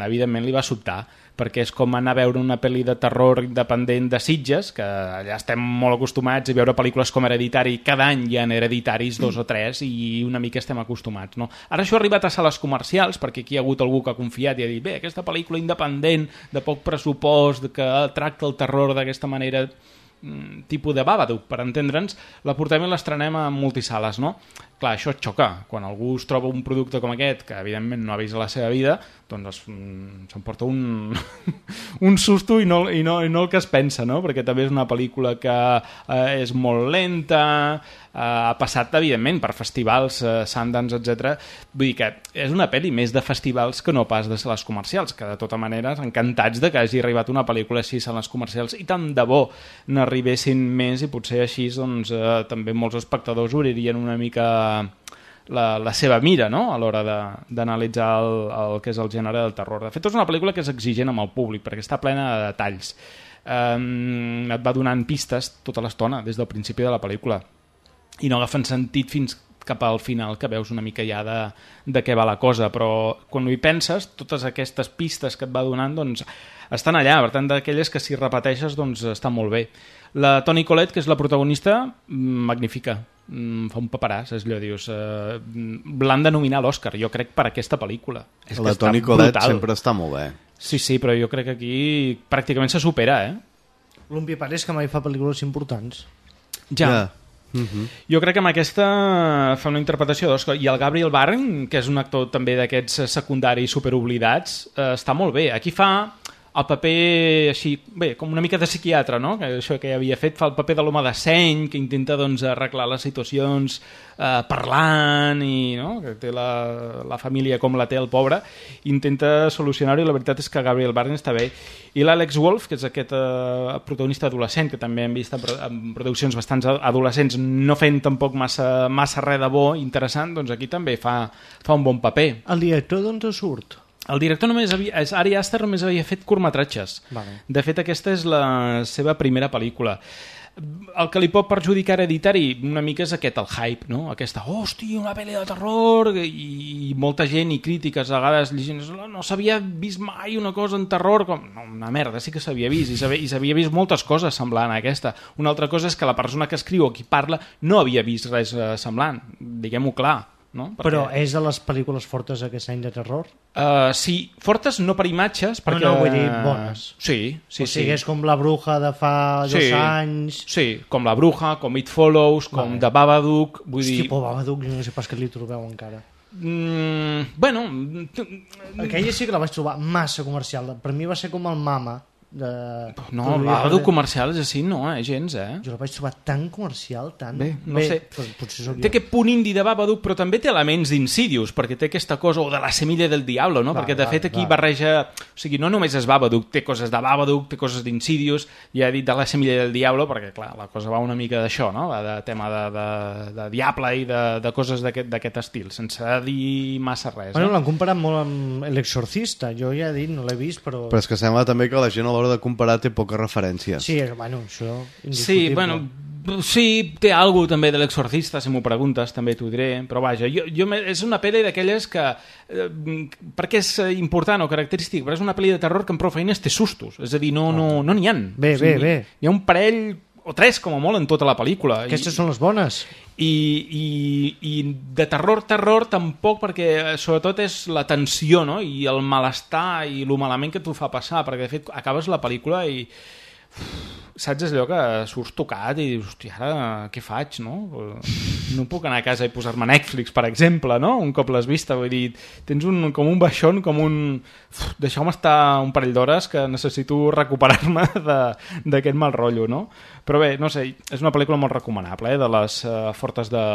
evidentment li va sobtar, perquè és com anar a veure una pel·li de terror independent de Sitges, que allà estem molt acostumats a veure pel·lícules com Hereditary, cada any hi ha Hereditaris, dos o tres, i una mica estem acostumats, no? Ara això ha arribat a sales comercials, perquè aquí hi ha hagut algú que ha confiat i ha dit, bé, aquesta pel·lícula independent, de poc pressupost, que tracta el terror d'aquesta manera, tipus de Babadook, per entendre'ns, la portem i l'estrenem a multisales, no? Clar, això et xoca. Quan algú es troba un producte com aquest, que evidentment no ha vist a la seva vida, doncs s'emporta un, un susto i no, i, no, i no el que es pensa, no? Perquè també és una pel·lícula que eh, és molt lenta, eh, ha passat, evidentment, per festivals, eh, Sundance, etcètera. Vull dir que és una pel·li més de festivals que no pas de sales comercials, que de tota manera encantats de que hagi arribat una pel·lícula així a sales comercials i tant de bo n'arribessin més i potser així doncs, eh, també molts espectadors obririen una mica La, la seva mira, no?, a l'hora d'analitzar el, el que és el gènere del terror. De fet, és una pel·lícula que és exigent amb el públic, perquè està plena de detalls. Um, et va donant pistes tota l'estona, des del principi de la pel·lícula, i no agafen sentit fins cap al final que veus una mica ja de, de què va la cosa, però quan hi penses, totes aquestes pistes que et va donant doncs, estan allà, per tant d'aquelles que si repeteixes doncs estan molt bé. La Toni Collette, que és la protagonista, magnífica, fa un paperàs, és allò, dius, eh, l'han de nominar a l'Oscar, jo crec, per aquesta pel·lícula. És la Toni Collette sempre està molt bé. Sí, sí, però jo crec que aquí pràcticament se supera, eh? L'Umpi Parés que mai fa pel·lícules importants. Ja. Yeah. Uh-huh. Jo crec que amb aquesta fa una interpretació d'Oscar. I el Gabriel Byrne, que és un actor també d'aquests secundaris superoblidats, eh, està molt bé. Aquí fa el paper així, bé, com una mica de psiquiatre, no? Que això que havia fet, fa el paper de l'home de seny, que intenta doncs arreglar les situacions eh, parlant i, no? Que té la, la família com la té el pobre, intenta solucionar-ho i la veritat és que Gabriel Byrne està bé. I l'Alex Wolff, que és aquest eh, protagonista adolescent, que també hem vist en, en produccions bastants adolescents, no fent tampoc massa, massa res de bo interessant, doncs aquí també fa, fa un bon paper. El director d'on te surt? El director només havia, Ari Aster només havia fet curtmetratges. Vale. De fet, aquesta és la seva primera pel·lícula. El que li pot perjudicar hereditari una mica és aquest, el hype, no? Aquesta, hòstia, una pel·li de terror, i, i molta gent i crítiques a vegades llegint, no s'havia vist mai una cosa en terror, com, no, una merda, sí que s'havia vist, i s'havia vist moltes coses semblant a aquesta. Una altra cosa és que la persona que escriu o qui parla no havia vist res eh, semblant, diguem-ho clar. No? Perquè... Però és de les pel·lícules fortes aquest any de terror? Uh, sí, fortes no per imatges, perquè... No, no, vull dir bones. Sí, sí, o sigui, sí. És com La Bruja de fa sí, dos anys... Sí, com La Bruja, com It Follows, com vale. The Babadook... Vull Hosti, dir... por Babadook, no sé pas que li trobeu encara. Mm, bueno... Aquella sí que la vaig trobar massa comercial. Per mi va ser com el Mama. De... No, el Babadook comercial és així, no, eh, gens, eh? Jo la vaig trobar tan comercial, tan... Bé, no Bé, sé. Potser soc té jo. aquest punt indi de Babadook, però també té elements d'Insidious, perquè té aquesta cosa, o de la semilla del diablo, no? Va, perquè de va, fet aquí va. barreja... O sigui, no només és Babadook, té coses de Babadook, té coses d'Insidious, ja he dit de la semilla del diablo, perquè clar, la cosa va una mica d'això, no? Va de tema de, de, de diable i de, de coses d'aquest estil, sense dir massa res. Bueno, no? l'han comparat molt amb L'Exorcista, jo ja he dit, no l'he vist, però... Però és que sembla també que la gent a l'hora de comparar té poques referències. Sí, bueno, això... Sí, bueno, sí, té alguna també de L'Exorcista, si m'ho preguntes, també t'ho diré, però vaja, jo, jo me, és una pel·li d'aquelles que... Eh, per què és important o característic? Però és una pel·li de terror que en prou feines té sustos, és a dir, no n'hi no, no ha. Bé, o sigui, bé, bé. Hi ha un parell o tres, com a molt, en tota la pel·lícula. Aquestes I, són les bones. I, i, i de terror, terror, tampoc, perquè sobretot és la tensió, no? I el malestar i el malament que t'ho fa passar, perquè de fet acabes la pel·lícula i... saps allò que surts tocat i dius, hòstia, ara què faig, no? No puc anar a casa i posar-me Netflix, per exemple, no? Un cop l'has vista, vull dir, tens un, com un baixón, com un... deixeu-me estar un parell d'hores que necessito recuperar-me d'aquest mal rotllo, no? Però bé, no sé, és una pel·lícula molt recomanable, eh? De les uh, fortes de,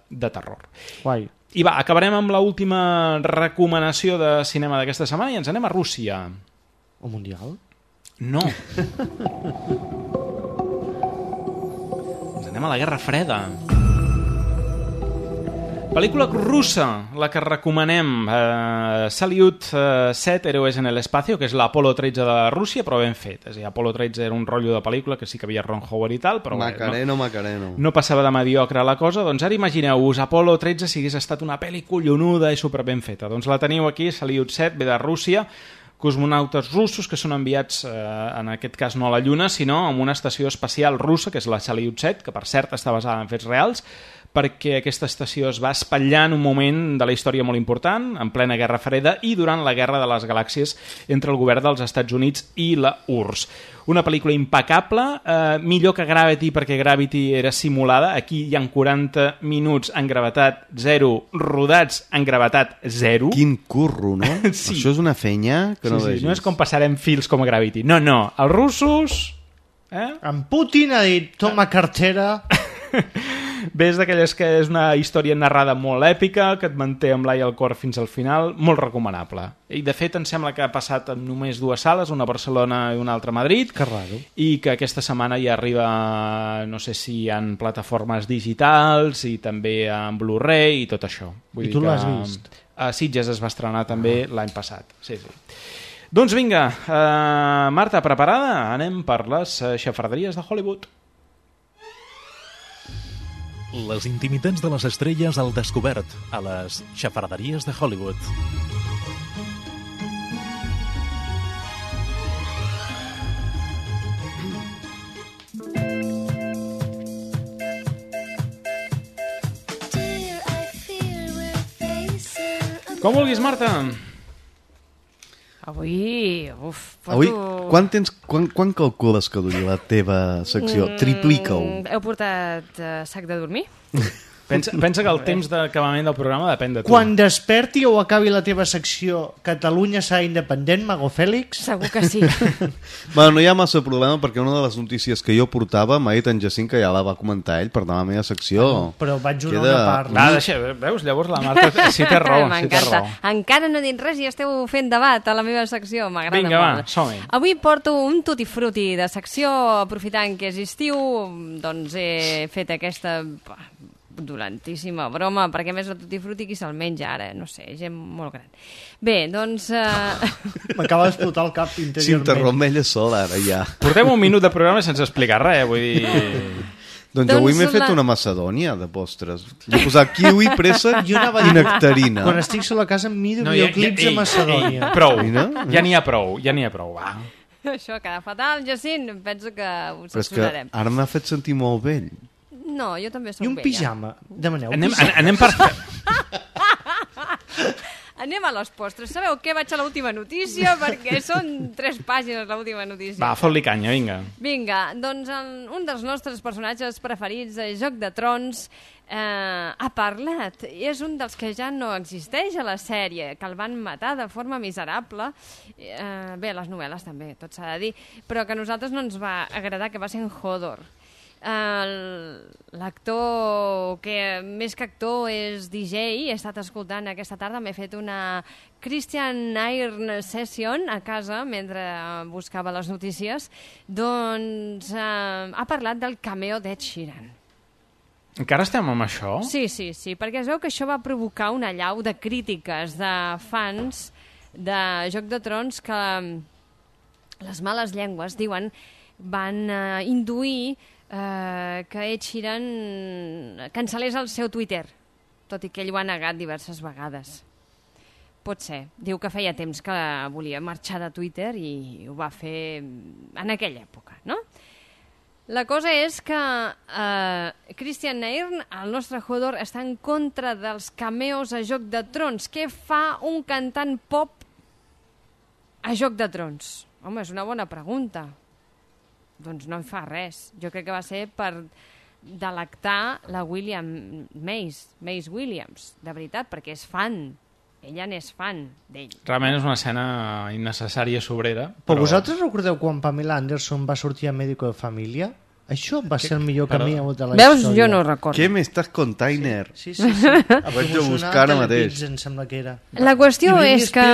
de terror. Guai. I va, acabarem amb l'última recomanació de cinema d'aquesta setmana i ens anem a Rússia. O Mundial? No. Ens anem a la Guerra Freda. Pel·lícula russa, la que recomanem. Uh, Salyut uh, set, Héroes en el Espacio, que és l'Apolo tretze de Rússia, però ben fet. És a dir, Apolo tretze era un rotllo de pel·lícula que sí que havia Ron Howard i tal, però Macareno, bé, no, Macareno. no passava de mediocre la cosa. Doncs ara imagineu-vos, Apolo tretze si hagués estat una pel·li collonuda i super ben feta. Doncs la teniu aquí, Salyut set, ve de Rússia, cosmonautes russos que són enviats, eh, en aquest cas no a la Lluna, sinó a una estació espacial russa, que és la Salyut set, que per cert està basada en fets reals, perquè aquesta estació es va espatllar en un moment de la història molt important, en plena Guerra Freda i durant la Guerra de les Galàxies entre el govern dels Estats Units i la U R S S. Una pel·lícula impecable, eh, millor que Gravity, perquè Gravity era simulada. Aquí hi ha quaranta minuts en gravetat zero, rodats en gravetat zero. Quin curro, no? Sí. Això és una fenya que no sí, sí, vegis. no és com passarem fils com a Gravity. No, no, els russos... Eh? En Putin ha dit, toma cartera... Ves d'aquelles que és una història narrada molt èpica, que et manté amb l'ai al cor fins al final, molt recomanable. I de fet em sembla que ha passat en només dues sales, una a Barcelona i una altra a Madrid, que raro. I que aquesta setmana ja arriba, no sé si en plataformes digitals i també en Blu-ray i tot això. Vull I tu dir l'has que, vist? A Sitges es va estrenar també ah. l'any passat. Sí, sí. Doncs vinga, uh, Marta, preparada? Anem per les uh, xafarderies de Hollywood. Les intimitats de les estrelles al descobert, a les xafarderies de Hollywood. Com vulguis, Marta. Avui, uf, porto... Avui, quan, tens, quan, quan calcules que duri la teva secció? Mm, Triplica-ho. Heu portat uh, sac de dormir? Pensa, pensa que el temps d'acabament del programa depèn de tu. Quan desperti o acabi la teva secció Catalunya serà independent, Mago Fèlix? Segur que sí. Bueno, no hi ha massa problema perquè una de les notícies que jo portava m'ha dit en Jacint que ja la va comentar ell, per tant la meva secció... Ah, no, però vaig una queda... una part. Va, deixa, veus? Llavors la Marta sí té raó. Sí té raó. Encara no he dit res i esteu fent debat a la meva secció. M'agrada molt. Vinga, va, som-hi. Avui porto un tutti frutti de secció, aprofitant que és estiu, doncs he fet aquesta... dolentíssima broma, perquè més el tutti frutti qui se'l menja ara, no sé, gent molt gran. Bé, doncs... Uh... M'acaba d'explotar el cap interiorment. S'interromp ella sola, ara ja. Portem un minut de programa sense explicar res, vull dir... Doncs, doncs avui m'he fet la... una macedònia de postres. He posat kiwi, préssec i, i nectarina. Quan estic sola a casa em miro no, videoclips ja, ja, de Macedònia. Ei, prou, no? ja n'hi ha prou, ja n'hi ha prou, va. Això queda fatal, Jacint, penso que ho censurarem. Però és que ara m'ha fet sentir molt vell. No, jo també soc vella. I un vella. pijama. Demaneu anem, pijama. Anem per... Anem a les postres. Sabeu què? Vaig a l'última notícia, perquè són tres pàgines l'última notícia. Va, fot-li canya, vinga. Vinga, doncs un dels nostres personatges preferits de Joc de Trons eh, ha parlat. I és un dels que ja no existeix a la sèrie, que el van matar de forma miserable. Eh, bé, les novel·les també, tot s'ha de dir, però que a nosaltres no ens va agradar, que va ser en Hodor. L'actor que més que actor és D J, he estat escoltant aquesta tarda, m'he fet una Christian Iron Session a casa mentre buscava les notícies, doncs eh, ha parlat del cameo d'Ed Sheeran. Encara estem amb això? Sí, sí, sí, perquè es veu que això va provocar una allau de crítiques de fans de Joc de Trons que les males llengües diuen van eh, induir Uh, que Ed Sheeran cancel·lés el seu Twitter, tot i que ell ho ha negat diverses vegades. Pot ser. Diu que feia temps que volia marxar de Twitter i ho va fer en aquella època, no? La cosa és que uh, Christian Nairn, el nostre Hodor, està en contra dels cameos a Joc de Trons. Què fa un cantant pop a Joc de Trons? Home, és una bona pregunta. Doncs no en fa res. Jo crec que va ser per delectar la William Mace, Mace Williams, de veritat, perquè és fan. Ella n'és fan d'ell. Realment és una escena innecessària sobrera. Però... però vosaltres recordeu quan Pamela Anderson va sortir a Médico de Família? Això va ser el millor camí de la Veus? història. Jo no ho recordo. Què m'estàs container? Sí, sí, sí. sí. Ho vaig a buscar ara mateix. Em sembla que era. La qüestió és que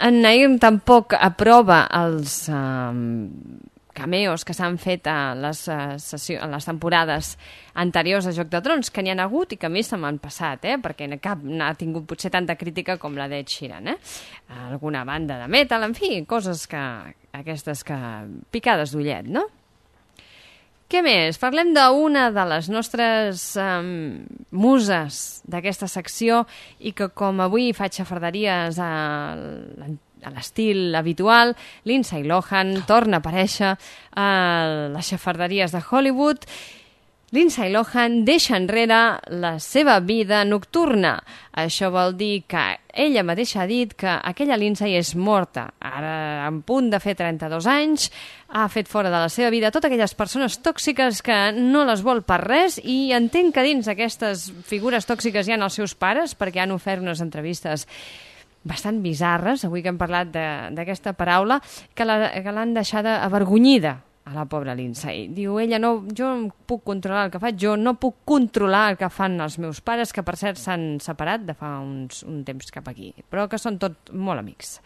en Nairn tampoc aprova els... Um, cameos que s'han fet a les, uh, sessió, a les temporades anteriors a Joc de Trons, que n'hi ha hagut i que a mi se m'han passat, eh? Perquè cap n'ha tingut potser tanta crítica com la d'Ed Sheeran. Eh? Alguna banda de metal, en fi, coses que aquestes que picades d'ullet, no? Què més? Parlem d'una de les nostres um, muses d'aquesta secció i que com avui faig xafarderies a l'antic a l'estil habitual, Lindsay Lohan torna a aparèixer a les xafarderies de Hollywood. Lindsay Lohan deixa enrere la seva vida nocturna. Això vol dir que ella mateixa ha dit que aquella Lindsay és morta. Ara, en punt de fer trenta-dos anys, ha fet fora de la seva vida totes aquelles persones tòxiques que no les vol per res i entenc que dins aquestes figures tòxiques hi ha els seus pares perquè han ofert unes entrevistes bastant bizarres, avui que hem parlat d'aquesta paraula, que l'han deixada avergonyida a la pobra Lindsay. Diu, ella, no, jo no puc controlar el que faig, jo no puc controlar el que fan els meus pares, que per cert s'han separat de fa uns, un temps cap aquí, però que són tot molt amics.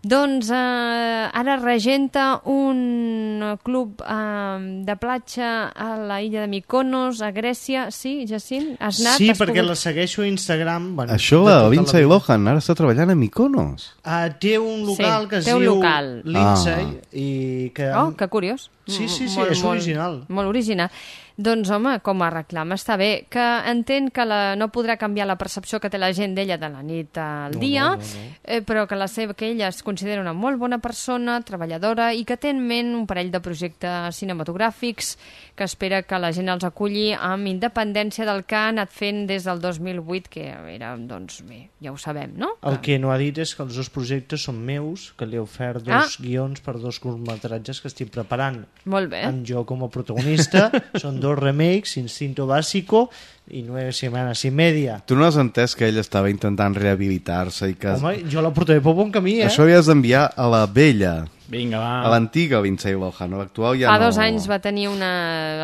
Doncs eh, ara regenta un club eh, de platja a la illa de Mykonos, a Grècia. Sí, Jacint? Has anat? Sí, has perquè pogut... la segueixo a Instagram. Bueno, Això la Lindsay Lohan ara està treballant a Mykonos. Uh, té un local sí, que es diu Lindsay ah. i que... Oh, que curiós. Sí, sí, sí, molt, és original. Molt, molt original. Doncs, home, com a reclam està bé, que entén que la, no podrà canviar la percepció que té la gent d'ella de la nit al No, dia, no, no, no. Eh, però que, la seva, que ella es considera una molt bona persona, treballadora, i que té en ment un parell de projectes cinematogràfics que espera que la gent els aculli amb independència del que ha anat fent des del dos mil vuit, que era, doncs, bé, ja ho sabem, no? El que no ha dit és que els dos projectes són meus, que li he ofert dos Ah. guions per dos curtmetratges que estic preparant. Molt bé. Amb jo com a protagonista. Són dos remakes, Instinto Básico i Nueve Semanas y Media. Tu no has entès que ell estava intentant rehabilitar-se i que... Home, jo la portaré pel bon camí, eh? Això havies d'enviar a la vella. Vinga, va. A l'antiga Lindsay Lohan, a l'actual ja Fa no... dos anys va tenir una...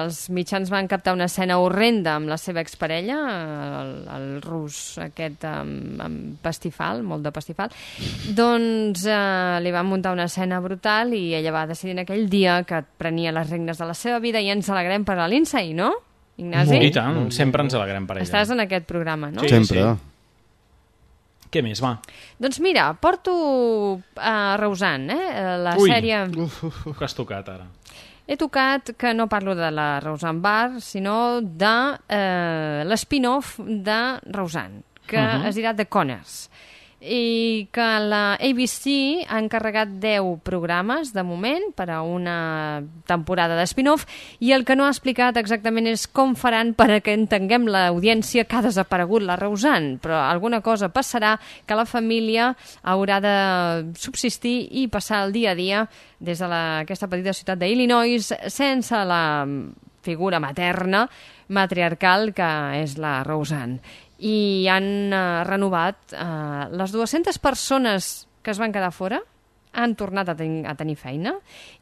Els mitjans van captar una escena horrenda amb la seva exparella, el, el rus aquest amb, amb pastifal, molt de pastifal. Doncs eh, li van muntar una escena brutal i ella va decidir en aquell dia que prenia les regnes de la seva vida i ens alegrem per a Lindsay, no? Ignasi? I tant, sempre ens alegrem per ella. Estàs en aquest programa, no? Sí, Sempre. Sí. Què més, va? Doncs mira, porto a Reusan, eh? La Ui, sèrie... uf, uf, uf, que has tocat ara. He tocat que no parlo de la Reusan Bar, sinó de eh, l'spin-off de Reusan, que uh -huh. es dirà The Conners, i que la A B C ha encarregat deu programes de moment per a una temporada de spin-off, i el que no ha explicat exactament és com faran per a que entenguem l'audiència que ha desaparegut la Reusan, però alguna cosa passarà que la família haurà de subsistir i passar el dia a dia des de la, aquesta petita ciutat d'Illinois sense la figura materna matriarcal que és la Reusan. I han eh, renovat eh, les dues-centes persones que es van quedar fora han tornat a, ten a tenir feina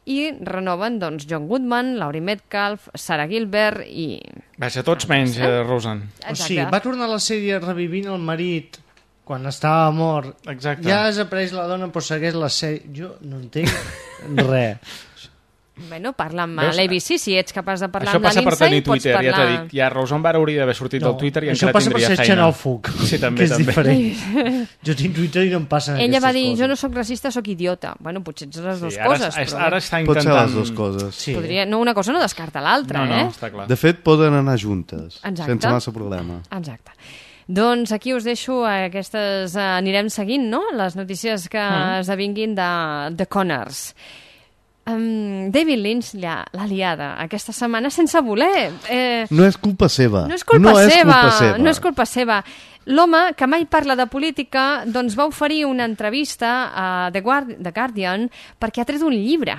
i renoven doncs, John Goodman, Laurie Metcalf, Sarah Gilbert i... Vaja, tots menys, eh, Roseanne. O sigui, va tornar a la sèrie revivint el marit quan estava mort. Exacte. Ja has après la dona però segueix la sèrie. Jo no entenc res. Bueno, parla amb Veus? l'A B C, si ets capaç de parlar Això amb la passa per Lindsay, tenir pots Twitter, parlar... ja t'ho dic. Ja Roseanne Barr hauria d'haver sortit No, del Twitter i això encara passa per tindria ser feina. xenòfob, Sí, també, que és també. diferent. Jo tinc Twitter i no em passen Ella aquestes va dir, coses. jo no sóc racista, sóc idiota. Bueno, potser ets les dues Sí, ara, coses, és- però... ara està Pot ser intentant... les dues coses. Sí. Podria... No, una cosa no descarta l'altra, No, no, eh? està clar. De fet, poden anar juntes, Exacte. sense massa problema. Exacte. Doncs aquí us deixo aquestes... eh, anirem seguint, no?, les notícies que Mm. esdevinguin de, de Conners. Um, David Lynch l'ha liada aquesta setmana sense voler. Eh, No és culpa seva. no és culpa, no seva, És culpa seva. no és culpa seva. L'home, que mai parla de política, doncs va oferir una entrevista a The, Guard The Guardian perquè ha tret un llibre.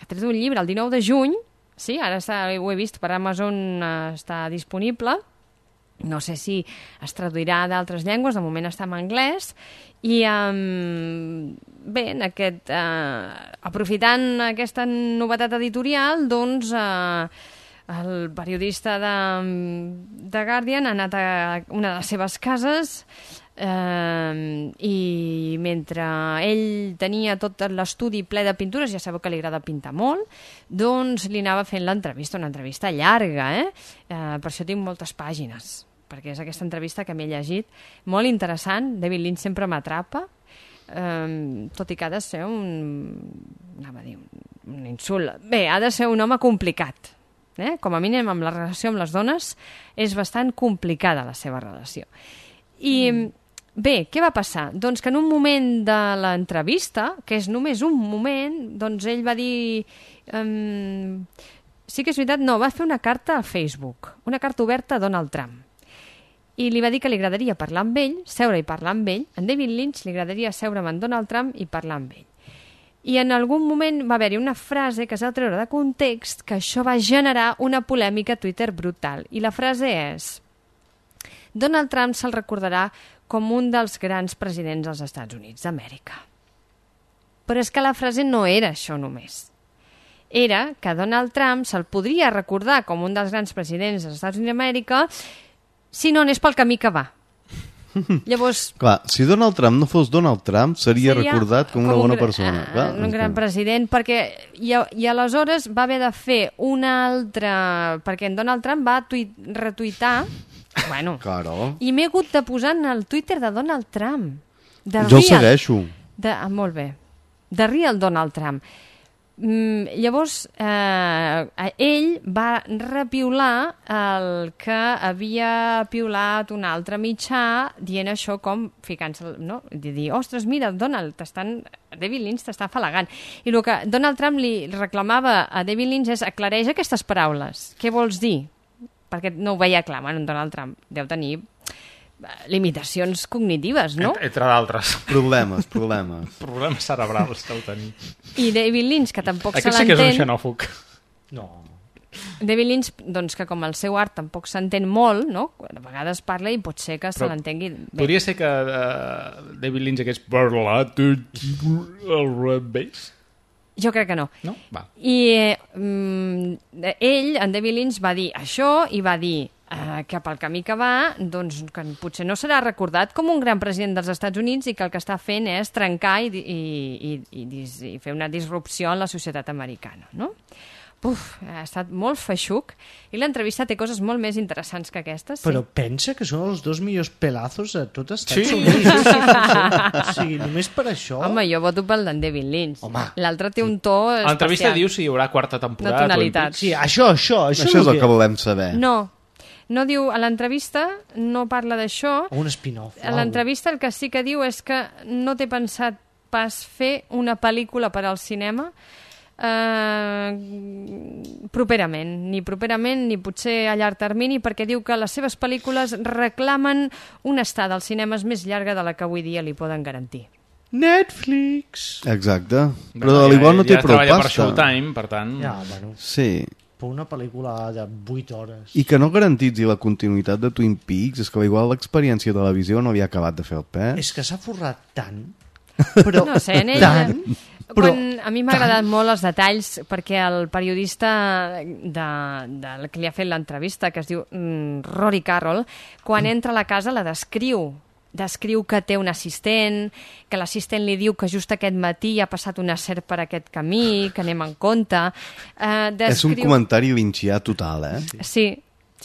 Ha tret un llibre el dinou de juny, sí, ara està, ho he vist per Amazon, eh, està disponible. No sé si es traduirà d'altres llengües, de moment està en anglès, i um, bé, en aquest, uh, aprofitant aquesta novetat editorial, doncs uh, el periodista de, de Guardian ha anat a una de les seves cases eh, i mentre ell tenia tot l'estudi ple de pintures, ja sabeu que li agrada pintar molt, doncs li anava fent l'entrevista, una entrevista llarga, eh? Eh, per això tinc moltes pàgines, perquè és aquesta entrevista que m'he llegit, molt interessant. David Lynch sempre m'atrapa, eh, tot i que ha de ser un, anava a dir, un, un insult. Bé, ha de ser un home complicat. Eh? Com a mínim amb la relació amb les dones és bastant complicada la seva relació. I mm. bé, què va passar? Doncs que en un moment de l'entrevista, que és només un moment, doncs ell va dir... Um, sí que és veritat, no, va fer una carta a Facebook, una carta oberta a Donald Trump. I li va dir que li agradaria parlar amb ell, seure i parlar amb ell. A David Lynch li agradaria seure amb en Donald Trump i parlar amb ell. I en algun moment va haver-hi una frase que es va treure de context que això va generar una polèmica a Twitter brutal. I la frase és: Donald Trump se'l recordarà com un dels grans presidents dels Estats Units d'Amèrica. Però és que la frase no era això només. Era que Donald Trump se'l podria recordar com un dels grans presidents dels Estats Units d'Amèrica si no anés pel camí que va. Llavors... Clar, si Donald Trump no fos Donald Trump, seria, seria recordat com, com una bona persona. Uh, Clar, un gran que... president, perquè... I, I aleshores va haver de fer una altra... Perquè en Donald Trump va tuit, retuitar... Bueno, claro. I m'he hagut de posar en el Twitter de Donald Trump. De jo real, el segueixo. De, ah, molt bé. De real Donald Trump. Mm, llavors, eh, ell va repiular el que havia piulat un altre mitjà dient això com ficant-se, no? De dir, ostres, mira, Donald, t'estan... David Lynch t'està afalagant. I el que Donald Trump li reclamava a David Lynch és aclareix aquestes paraules. Què vols dir? Perquè no ho veia clar. Bueno, Donald Trump deu tenir limitacions cognitives, no? Entre d'altres. Problemes, problemes. Problemes cerebrals deu tenir. I David Lynch, que tampoc se l'entén... l'entén... Aquest sí que és un xenòfob. No. David Lynch, doncs, que com el seu art tampoc s'entén molt, no? A vegades parla i pot ser que se l'entengui bé. Podria ser que uh, David Lynch hagués parlat al revés? Jo crec que no. No? Va. I eh, mm, ell, en David Lynch, va dir això i va dir eh, que pel camí que va, doncs que potser no serà recordat com un gran president dels Estats Units i que el que està fent és trencar i, i, i, i, i fer una disrupció en la societat americana, no? Uf, ha estat molt feixuc i l'entrevista té coses molt més interessants que aquestes. Sí? Però pensa que són els dos millors pelazos a tot Estats sí. Units. Sí, sí, sí. O sigui, només per això... Home, jo voto pel d'en David Lynch. Home. L'altre té un to especial. L'entrevista diu si hi haurà quarta temporada. Una tonalitat. Sí, això, això. Això, això és el que volem saber. No, no diu... A l'entrevista no parla d'això. O un spin-off. A l'entrevista el que sí que diu és que no té pensat pas fer una pel·lícula per al cinema Uh, properament, ni properament ni potser a llarg termini, perquè diu que les seves pel·lícules reclamen una estada als cinemes més llarga de la que avui dia li poden garantir. Netflix! Exacte. Però Però de l'Ivon no té ja prou treballa pasta. per Showtime, per tant... Ja, bueno. Sí. Per una pel·lícula de vuit hores. I que no garantitzi la continuïtat de Twin Peaks, és que igual l'experiència de televisió no havia acabat de fer el pes. És que s'ha forrat tant, però no sé, en ell, tant... Però, quan, a mi m'ha agradat molt els detalls perquè el periodista de, de, que li ha fet l'entrevista, que es diu mm, Rory Carroll, quan entra a la casa la descriu descriu que té un assistent, que l'assistent li diu que just aquest matí ha passat una serp per aquest camí, que anem en compte. Eh, descriu... És un comentari lynchià total, eh? Sí.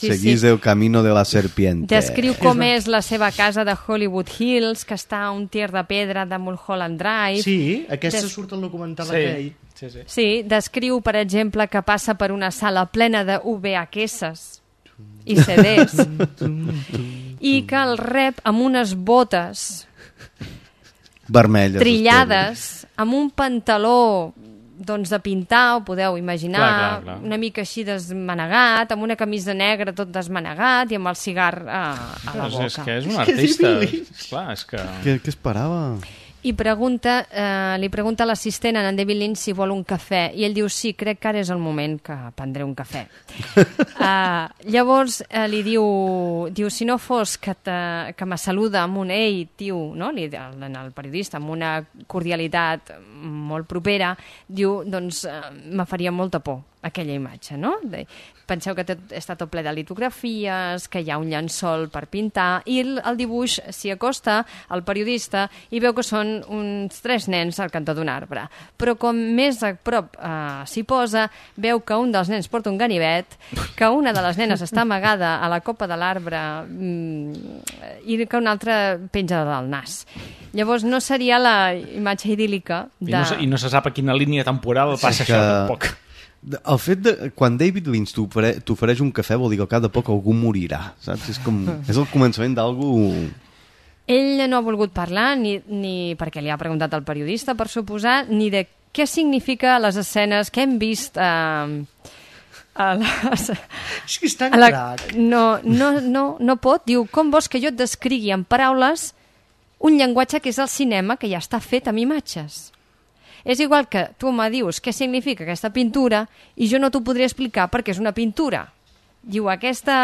Sí, Seguís sí. el camino de la serpiente. Descriu com és la seva casa de Hollywood Hills, que està a un tier de pedra de Mulholland Drive. Sí, aquesta Des... surt al documental sí. aquell. Sí, sí. Sí, descriu, per exemple, que passa per una sala plena de V H S i C Ds i que el rep amb unes botes vermelles, trillades, amb un pantaló doncs de pintar, ho podeu imaginar, clar, clar, clar. una mica així desmanegat, amb una camisa negra tot desmanegat i amb el cigar a, a la boca. És que és un artista. Clar, és que... Què, què esperava? I pregunta, eh, li pregunta a l'assistent a en David Lynch si vol un cafè i ell diu sí, crec que ara és el moment que prendré un cafè. uh, llavors eh, li diu, diu si no fos que, te, que me saluda amb un ei, tio, no? Li, el, el periodista, amb una cordialitat molt propera, diu, doncs eh, me faria molta por aquella imatge, no? De, penseu que tot, està tot ple de litografies, que hi ha un llençol per pintar, i el, el dibuix s'hi acosta al periodista i veu que són uns tres nens al cantó d'un arbre. Però com més a prop eh, s'hi posa, veu que un dels nens porta un ganivet, que una de les nenes està amagada a la copa de l'arbre mm, i que una altra penja del nas. Llavors no seria la imatge idíl·lica de... I no, I no se sap a quina línia temporal passa que... això, tampoc. El fet de... Quan David Lynch t'ofereix un cafè vol dir que al cap de poc algú morirà, saps? És, com, és el començament d'algú... Ell no ha volgut parlar, ni, ni perquè li ha preguntat al periodista, per suposar, ni de què significa les escenes que hem vist... Eh, a les... És que és tan la... crac. No, no, no, no pot. Diu, com vols que jo et descrigui en paraules un llenguatge que és el cinema, que ja està fet amb imatges? És igual que tu me dius què significa aquesta pintura i jo no t'ho podré explicar perquè és una pintura. Diu, aquesta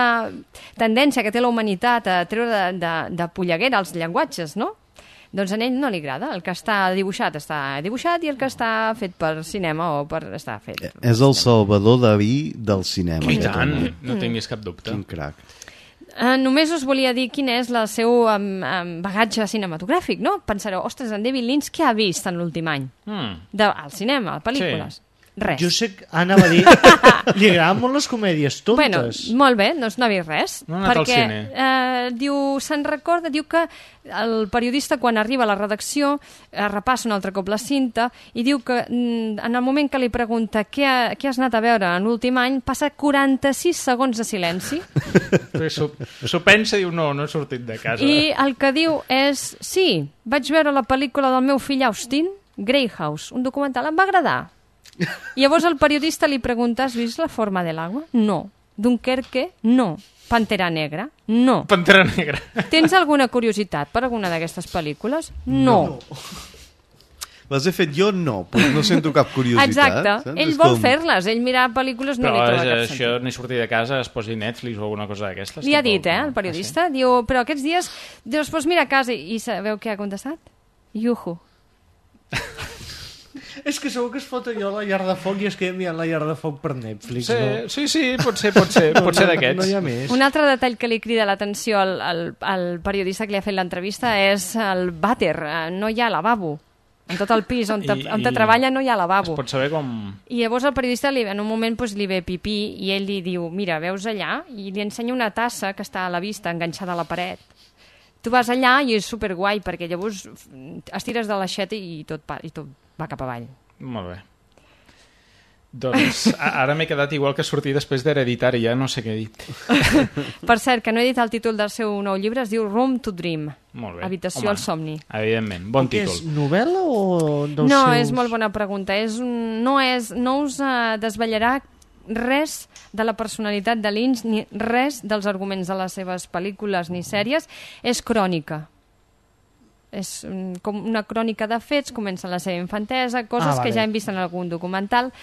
tendència que té la humanitat a treure de, de, de polleguera els llenguatges, no? Doncs a ell no li agrada. El que està dibuixat està dibuixat i el que està fet per cinema o per estar fet... És el Salvador Dalí del cinema. I tant, no tinguis cap dubte. Quin crac. Uh, només us volia dir quin és el seu um, um, bagatge cinematogràfic, no? Pensareu, ostres, en David Lynch què ha vist en l'últim any? Mm. De, al cinema, a pel·lícules. Sí. Res. Jo sé que anava a dir... Li agraden molt les comèdies tontes. Bueno, molt bé, doncs no ha vist res. No ha anat al perquè, cine. Eh, diu, se'n recorda, diu que el periodista quan arriba a la redacció eh, repassa un altre cop la cinta i diu que mm, en el moment que li pregunta què, ha, què has anat a veure en l'últim any, passa quaranta-sis segons de silenci. S'ho pensa i diu, no, no he sortit de casa. I el que diu és, sí, vaig veure la pel·lícula del meu fill Austin, Greyhouse, un documental, em va agradar. I llavors el periodista li pregunta, has vist La forma de l'agua? No. Dunkerque? No. Pantera Negra? No. Pantera Negra. Tens alguna curiositat per alguna d'aquestes pel·lícules? No. no. Les he fet jo? No. Pues no sento cap curiositat. Exacte. Saps? Ell És vol com... fer-les. Ell mirar pel·lícules no però li troba cap això, sentit. ni sortir de casa, es posi Netflix o alguna cosa d'aquestes. Li ha tampoc, dit, eh, no? el periodista. Ah, sí? Diu, però aquests dies, dius, pues mira a casa. I sabeu què ha contestat? Yuhu. És que segur que es fot allò a la llar de foc i es queda mirant la llar de foc per Netflix, sí, no? Sí, sí, pot ser, pot ser, pot ser d'aquests. No hi ha més. Un altre detall que li crida l'atenció al, al, al periodista que li ha fet l'entrevista és el vàter. No hi ha lavabo. En tot el pis on, te, I, on te treballa no hi ha lavabo. Es pot saber com... I llavors el periodista li, en un moment pues, li ve pipí i ell li diu, mira, veus allà? I li ensenya una tassa que està a la vista, enganxada a la paret. Tu vas allà i és superguai perquè llavors estires de l'aixeta i tot, i tot va cap avall. Molt bé. Doncs ara m'he quedat igual que sortir després d'Hereditari, ja no sé què he dit. Per cert, que no he dit el títol del seu nou llibre, es diu Room to Dream. Molt bé. Habitació Home, al somni. Evidentment, bon Què títol. és, novel·la o dels no, seus... és molt bona pregunta. És un, no, és, no us uh, desvetllarà res de la personalitat de Lynch, ni res dels arguments de les seves pel·lícules ni sèries. És crònica. És com una crònica de fets, comença la seva infantesa, coses ah, vale. que ja hem vist en algun documental,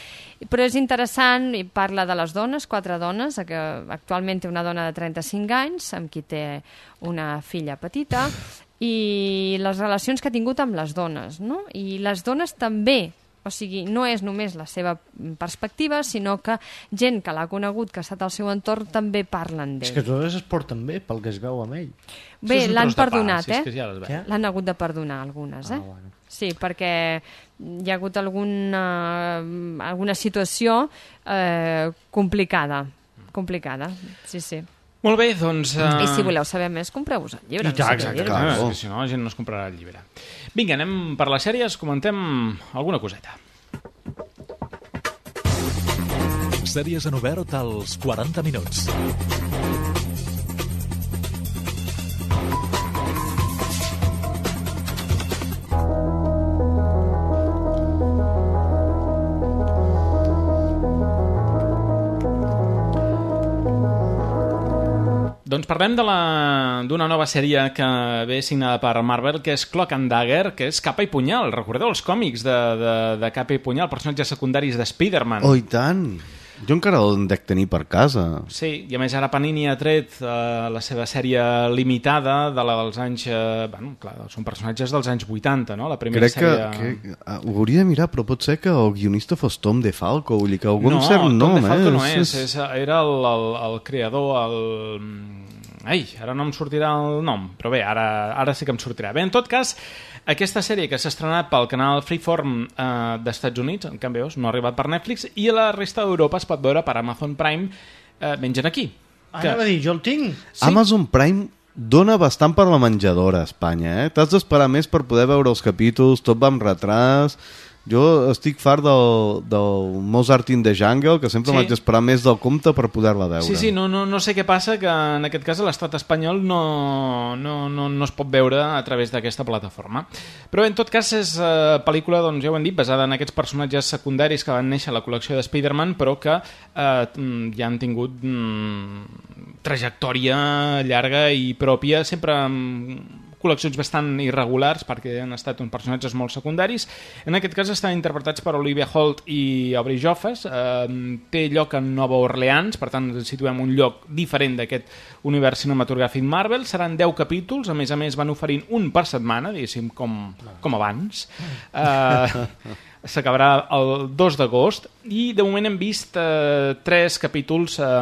però és interessant i parla de les dones, quatre dones, que actualment té una dona de trenta-cinc anys, amb qui té una filla petita, i les relacions que ha tingut amb les dones, no? I les dones també, o sigui, no és només la seva perspectiva, sinó que gent que l'ha conegut, que ha estat al seu entorn, també parlen d'ell. És que totes es porten bé, pel que es veu amb ell. Bé, l'han perdonat, pa, eh? Si ja l'han hagut de perdonar, algunes, eh? Ah, bueno. Sí, perquè hi ha hagut alguna, alguna situació eh, complicada. Complicada, sí, sí. Molt bé, doncs... Uh... I si voleu saber més, compreu-vos el llibre. I tant, exacte, clar. No, si no, la gent no es comprarà el llibre. Vinga, anem per les sèries, comentem alguna coseta. Sèries en obert als quaranta minuts. Doncs parlem d'una nova sèrie que ve signada per Marvel, que és Cloak and Dagger, que és Capa i Punyal. Recordeu els còmics de, de, de Capa i Punyal, personatges secundaris de Spider-Man? Oh, i tant! Jo encara el dec tenir per casa. Sí, i a més ara Panini ha tret uh, la seva sèrie limitada de la dels anys... Uh, bueno, clar, són personatges dels anys vuitanta, no? La primera Crec sèrie... que, que uh, ho hauria de mirar, però pot ser que el guionista fos Tom DeFalco, vull dir que algun no, cert Tom nom, DeFalco eh? no és, és, era el, el, el creador, el... Ai, ara no em sortirà el nom, però bé, ara, ara sí que em sortirà. Bé, en tot cas, aquesta sèrie que s'ha estrenat pel canal Freeform eh, dels Estats Units, en canvi no ha arribat per Netflix, i a la resta d'Europa es pot veure per Amazon Prime, eh, mengen aquí. Que... Anava a dir, jo el tinc. Sí. Amazon Prime dona bastant per la menjadora a Espanya, eh? T'has d'esperar més per poder veure els capítols, tot va amb retras... Jo estic fart del, del Mozart in the Jungle, que sempre sí. m'haig d'esperar més del compte per poder-la veure. Sí, sí, no, no, no sé què passa, que en aquest cas a l'estat espanyol no, no, no, no es pot veure a través d'aquesta plataforma. Però en tot cas és uh, pel·lícula, doncs ja ho hem dit, basada en aquests personatges secundaris que van néixer a la col·lecció de Spider-Man, però que uh, ja han tingut mm, trajectòria llarga i pròpia, sempre amb col·leccions bastant irregulars perquè han estat uns personatges molt secundaris. En aquest cas estan interpretats per Olivia Holt i Aubrey Joffes. Eh, té lloc en Nova Orleans, per tant ens situem un lloc diferent d'aquest univers cinematogràfic Marvel. Seran deu capítols, a més a més van oferint un per setmana, diguéssim, com, com abans. Eh, s'acabarà el dos d'agost i de moment hem vist eh, tres capítols eh,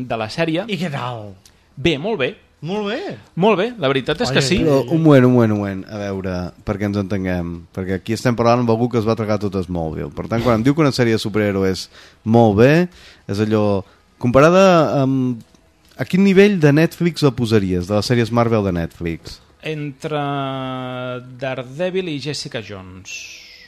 de la sèrie. I què tal? Bé, molt bé. Molt bé. Molt bé, la veritat és que sí. Però, un moment, un moment, un moment, a veure, perquè ens entenguem, perquè aquí estem parlant amb algú que es va tragar tot Smallville. Per tant, quan em diu que una sèrie de superhéroes és molt bé, és allò... Comparada amb... A quin nivell de Netflix la posaries, de les sèries Marvel de Netflix? Entre Daredevil i Jessica Jones.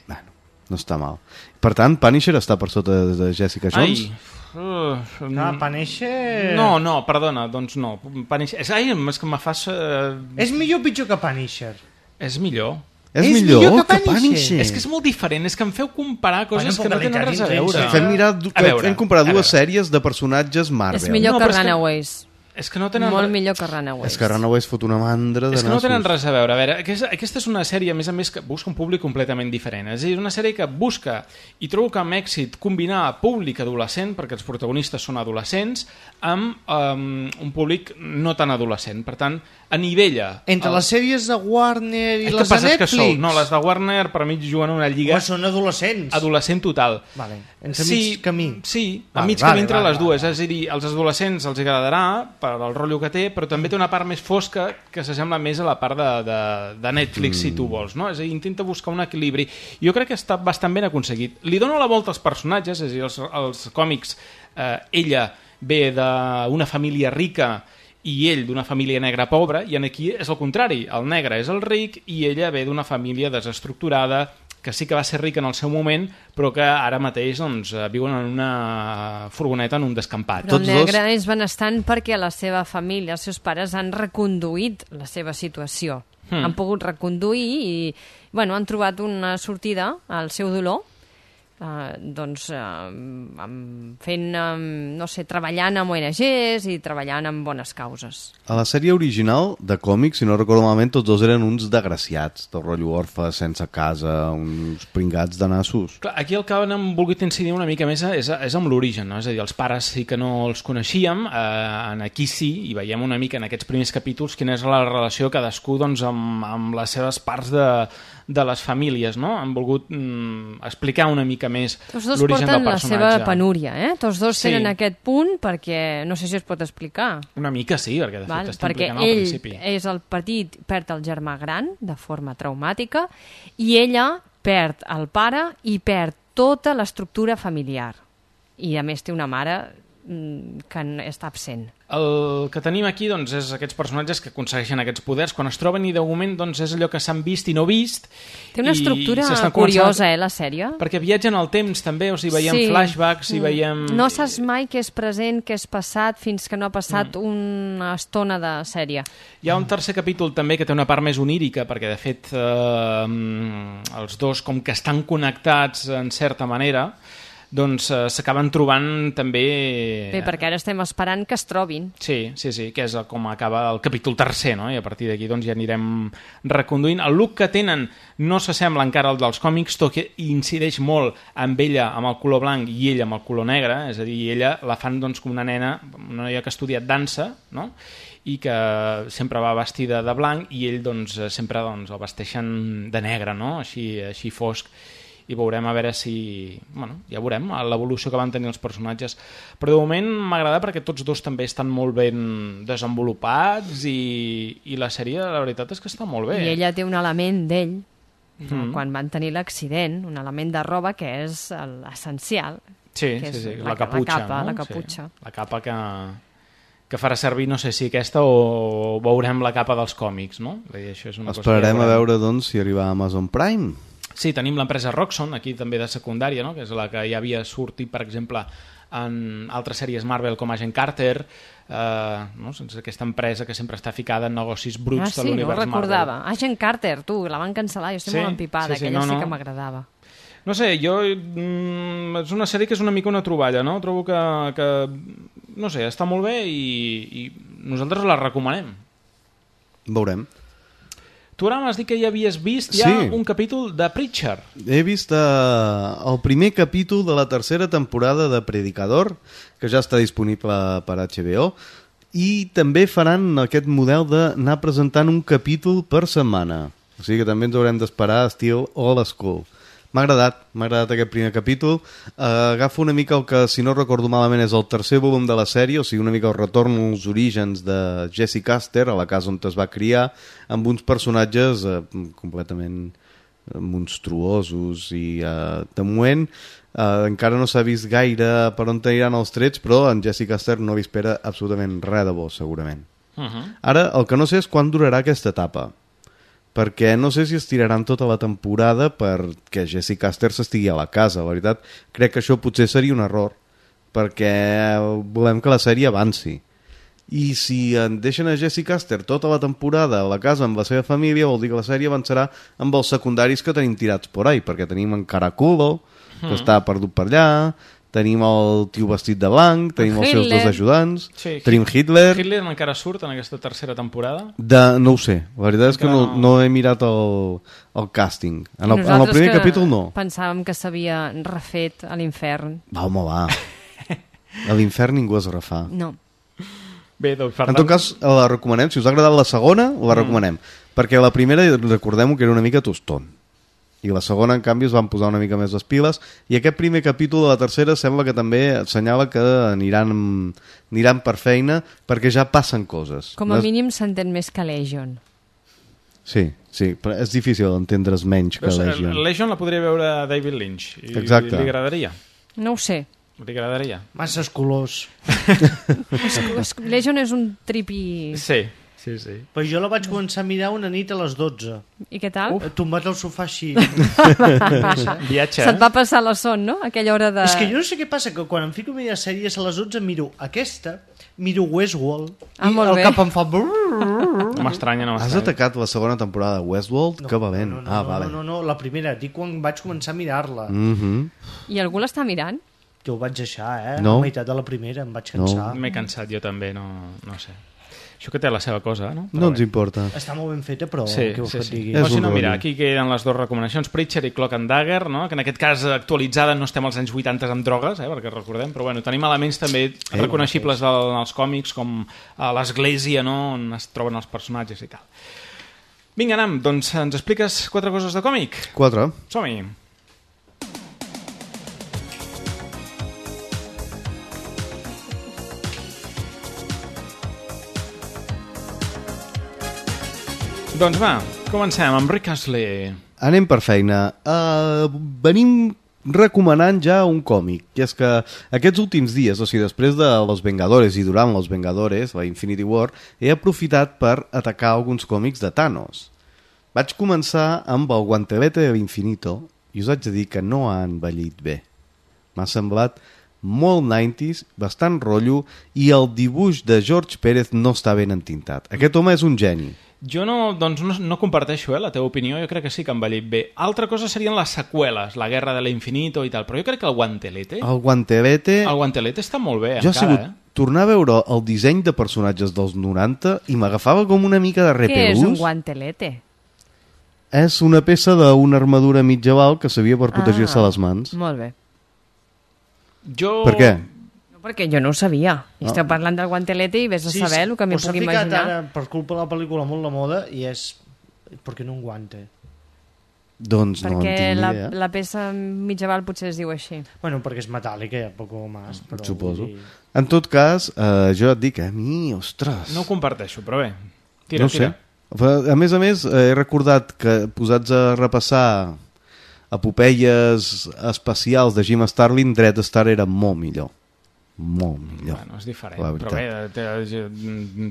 Bueno, no està mal. Per tant, Punisher està per sota de Jessica Jones? Ai... Uh, no, Punisher... No, no, perdona, doncs no. Punisher... Ai, és que me fas... Uh... És millor o pitjor que Punisher? És millor. És, és millor, millor que, que Punisher. Punisher. És que és molt diferent, és que em feu comparar coses bueno, que no tenen res a veure. Fem, mirar, a veure, fem comparar dues sèries de personatges Marvel. És millor no, que Runaways. És que no tenen... Molt millor que Runaways. És que Runaways fot una mandra de nassos. És que no tenen res a veure. A veure, aquesta, aquesta és una sèrie, a més a més, que busca un públic completament diferent. És a dir, una sèrie que busca, i trobo que amb èxit, combinar públic adolescent, perquè els protagonistes són adolescents, amb um, un públic no tan adolescent. Per tant, anivella... Entre el... les sèries de Warner i és les de Netflix? Sou, no, les de Warner per mi juguen una lliga... O són adolescents? Adolescent total. Vale. Entre sí, mig camí. Sí, vale, a mig vale, camí entre vale, les dues. Vale. És a dir, als adolescents els agradarà per al rotllo que té, però també té una part més fosca que s'assembla més a la part de, de, de Netflix, mm. si tu vols. No? És a dir, intenta buscar un equilibri. Jo crec que està bastant ben aconseguit. Li dono la volta als personatges, és a dir, els, els còmics, eh, ella ve d'una família rica i ell d'una família negra pobra, i aquí és el contrari. El negre és el ric i ella ve d'una família desestructurada, que sí que va ser rica en el seu moment, però que ara mateix doncs, viuen en una furgoneta en un descampat. Però el negre dos... és benestant perquè la seva família, els seus pares han reconduït la seva situació. Hmm. Han pogut reconduir i bueno, han trobat una sortida al seu dolor, Uh, doncs uh, fent, um, no sé, treballant amb O N Ges i treballant amb bones causes. A la sèrie original de còmics, si no recordo malament, tots dos eren uns desgraciats, del rotllo orfe, sense casa, uns pringats de nassos. Clar, aquí el que han volgut incidir una mica més és, és amb l'origen, no? És a dir, els pares sí que no els coneixíem, eh, aquí sí, i veiem una mica en aquests primers capítols quina és la relació cadascú doncs, amb, amb les seves parts de, de les famílies, no? Han volgut mm, explicar una mica més l'origen del personatge. Tots dos porten la seva penúria, eh? Tots dos sí. tenen aquest punt perquè no sé si es pot explicar. Una mica sí, perquè de Val? fet està perquè implicant al principi. Perquè ell és el petit, perd el germà gran de forma traumàtica i ella perd el pare i perd tota l'estructura familiar. I a més té una mare que està absent. El que tenim aquí doncs, és aquests personatges que aconsegueixen aquests poders quan es troben i de moment doncs, és allò que s'han vist i no vist. Té una estructura curiosa, eh, la sèrie. Perquè viatgen al temps també, o sigui, veiem sí. flashbacks i mm. veiem... No saps mai què és present, què és passat, fins que no ha passat mm. una estona de sèrie. Hi ha un tercer capítol també que té una part més onírica, perquè de fet eh, els dos com que estan connectats en certa manera, doncs eh, s'acaben trobant també... Bé, perquè ara estem esperant que es trobin. Sí, sí, sí, que és com acaba el capítol tercer, no? I a partir d'aquí doncs, ja anirem reconduint. El look que tenen no s'assembla encara al dels còmics, tot que incideix molt amb ella amb el color blanc i ella amb el color negre, és a dir, ella la fan doncs, com una nena, una noia que ha estudiat dansa, no? I que sempre va vestida de blanc i ell doncs, sempre doncs, el vesteixen de negre, no? Així, així fosc. I veurem a veure si... Bueno, ja veurem l'evolució que van tenir els personatges. Però de moment m'agrada perquè tots dos també estan molt ben desenvolupats i, i la sèrie, la veritat és que està molt bé. I ella té un element d'ell, mm. quan van tenir l'accident, un element de roba que és l'essencial. Sí, que sí, sí, la, la caputxa. La capa, no? la caputxa. Sí, la capa que... que farà servir, no sé si aquesta o veurem la capa dels còmics, no? I això és una Esperarem cosa a veure, doncs, si arriba a Amazon Prime. Sí, tenim l'empresa Roxxon, aquí també de secundària, no? Que és la que ja havia sortit, per exemple, en altres sèries Marvel com Agent Carter, eh, no? Sense aquesta empresa que sempre està ficada en negocis bruts ah, sí, de l'univers Marvel. Ah, sí, no ho recordava. Marvel. Agent Carter, tu, la van cancel·lar, jo estic sí, molt empipada, sí, sí, aquella no, no. sí que m'agradava. No sé, jo... Mm, és una sèrie que és una mica una troballa, no? Trobo que, que no sé, està molt bé i, i nosaltres la recomanem. Veurem. Tu ara m'has dit que ja havies vist ja sí. un capítol de Preacher. He vist uh, el primer capítol de la tercera temporada de Predicador, que ja està disponible per H B O, i també faran aquest model d'anar presentant un capítol per setmana. O sigui que també ens haurem d'esperar estil old school. m'ha agradat, m'ha agradat aquest primer capítol. Uh, agafo una mica el que, si no recordo malament, és el tercer volum de la sèrie, o sigui, una mica el retorn als orígens de Jesse Custer, a la casa on es va criar, amb uns personatges uh, completament monstruosos i uh, de moment uh, encara no s'ha vist gaire per on aniran els trets, però en Jesse Custer no li espera absolutament res de bo, segurament. Uh-huh. Ara, el que no sé és quan durarà aquesta etapa, perquè no sé si estiraran tota la temporada perquè Jesse Custer s'estigui a la casa. La veritat, crec que això potser seria un error, perquè volem que la sèrie avanci. I si en deixen a Jesse Custer tota la temporada a la casa amb la seva família, vol dir que la sèrie avançarà amb els secundaris que tenim tirats por ahí, perquè tenim en Caraculo, que mm. està perdut per allà, tenim el tio vestit de blanc, tenim els seus dos ajudants, sí, tenim Hitler... Hitler encara surt en aquesta tercera temporada? De, no ho sé, la veritat és que no, no he mirat el, el càsting. En el, en el primer capítol no. Pensàvem que s'havia refet a l'infern. Va, home, va. A l'infern ningú es refà. No. Bé, doncs, en tot cas, la recomanem. Si us ha agradat la segona, la mm. recomanem. Perquè la primera, recordem-ho, que era una mica toston. I la segona, en canvi, es van posar una mica més les piles. I aquest primer capítol de la tercera sembla que també assenyala que aniran, aniran per feina, perquè ja passen coses. Com a mínim s'entén més que Legion. Sí, sí, però és difícil entendre's menys que Legion. Legion la podria veure David Lynch. I exacte. Li agradaria. No ho sé. Li agradaria. Masses colors. Legion és un tripi... Sí, sí, sí. Però jo la vaig començar a mirar una nit a les dotze. I què tal? Uf. Tombat al sofà així. Viatge, se't va passar la son, no? Aquella hora de... És que jo no sé què passa, que quan em fico a mirar sèries a les dotze miro aquesta, miro Westworld, ah, i el bé. cap em fa... No m'estranya, no m'estranya. Has atacat la segona temporada de Westworld? No, que valent. No, no, ah, no, vale. no, no, no, la primera. Dic quan vaig començar a mirar-la. Mm-hmm. I algú l'està mirant? Que ho vaig deixar, eh? No. A la meitat de la primera em vaig cansar. No. M'he cansat jo també, no, no sé. Això que té la seva cosa, no? Però no ens importa. Està molt ben feta, però sí, què vols sí, que et sí. digui? O si no, mira, aquí queden les dues recomanacions, Preacher i Cloak and Dagger, no? Que en aquest cas actualitzada no estem als anys vuitanta amb drogues, eh? Perquè recordem, però bueno, tenim elements també eh, reconeixibles del, dels còmics, com a l'església, no? On es troben els personatges i tal. Vinga, Nam, doncs ens expliques quatre coses de còmic? Quatre. Som-hi. Doncs va, comencem amb Rick Astley. Anem per feina. Uh, venim recomanant ja un còmic, i és que aquests últims dies, o sigui, després de Los Vengadores i durant Los Vengadores, la Infinity War, he aprofitat per atacar alguns còmics de Thanos. Vaig començar amb el Guantelete de l'Infinito i us haig de dir que no ha envellit bé. M'ha semblat molt nineties, bastant rotllo, i el dibuix de George Pérez no està ben entintat. Aquest home és un geni. Jo no, doncs no, no comparteixo eh, la teva opinió, jo crec que sí que ha envellit bé. Altra cosa serien les seqüeles, la Guerra de l'Infinito i tal, però jo crec que el Guantelete... El Guantelete... El Guantelete està molt bé, jo encara, sigut, eh? Tornar a veure el disseny de personatges dels noranta i m'agafava com una mica de repelús. Què és un Guantelete? És una peça d'una armadura mitjaval que servia per protegir-se ah, les mans. Molt bé. Jo... Per què? Perquè jo no ho sabia. No. Esteu parlant del Guantelete i vés a sí, saber sí, el que m'hi puc imaginar. Ara, per culpa de la pel·lícula molt la moda, i és... Per què no un guante? Doncs perquè no en tinc la, idea. la peça mitjaval potser es diu així. Bueno, perquè és metàl·lica, ja poco més. Però suposo. Dir... En tot cas, eh, jo et dic, a mi, ostres... No ho comparteixo, però bé. Tira, no tira. sé. A més a més, he recordat que posats a repassar epopeies espacials de Jim Starlin, Dread Star era molt millor. Molt millor. Bueno, és diferent, però bé, té,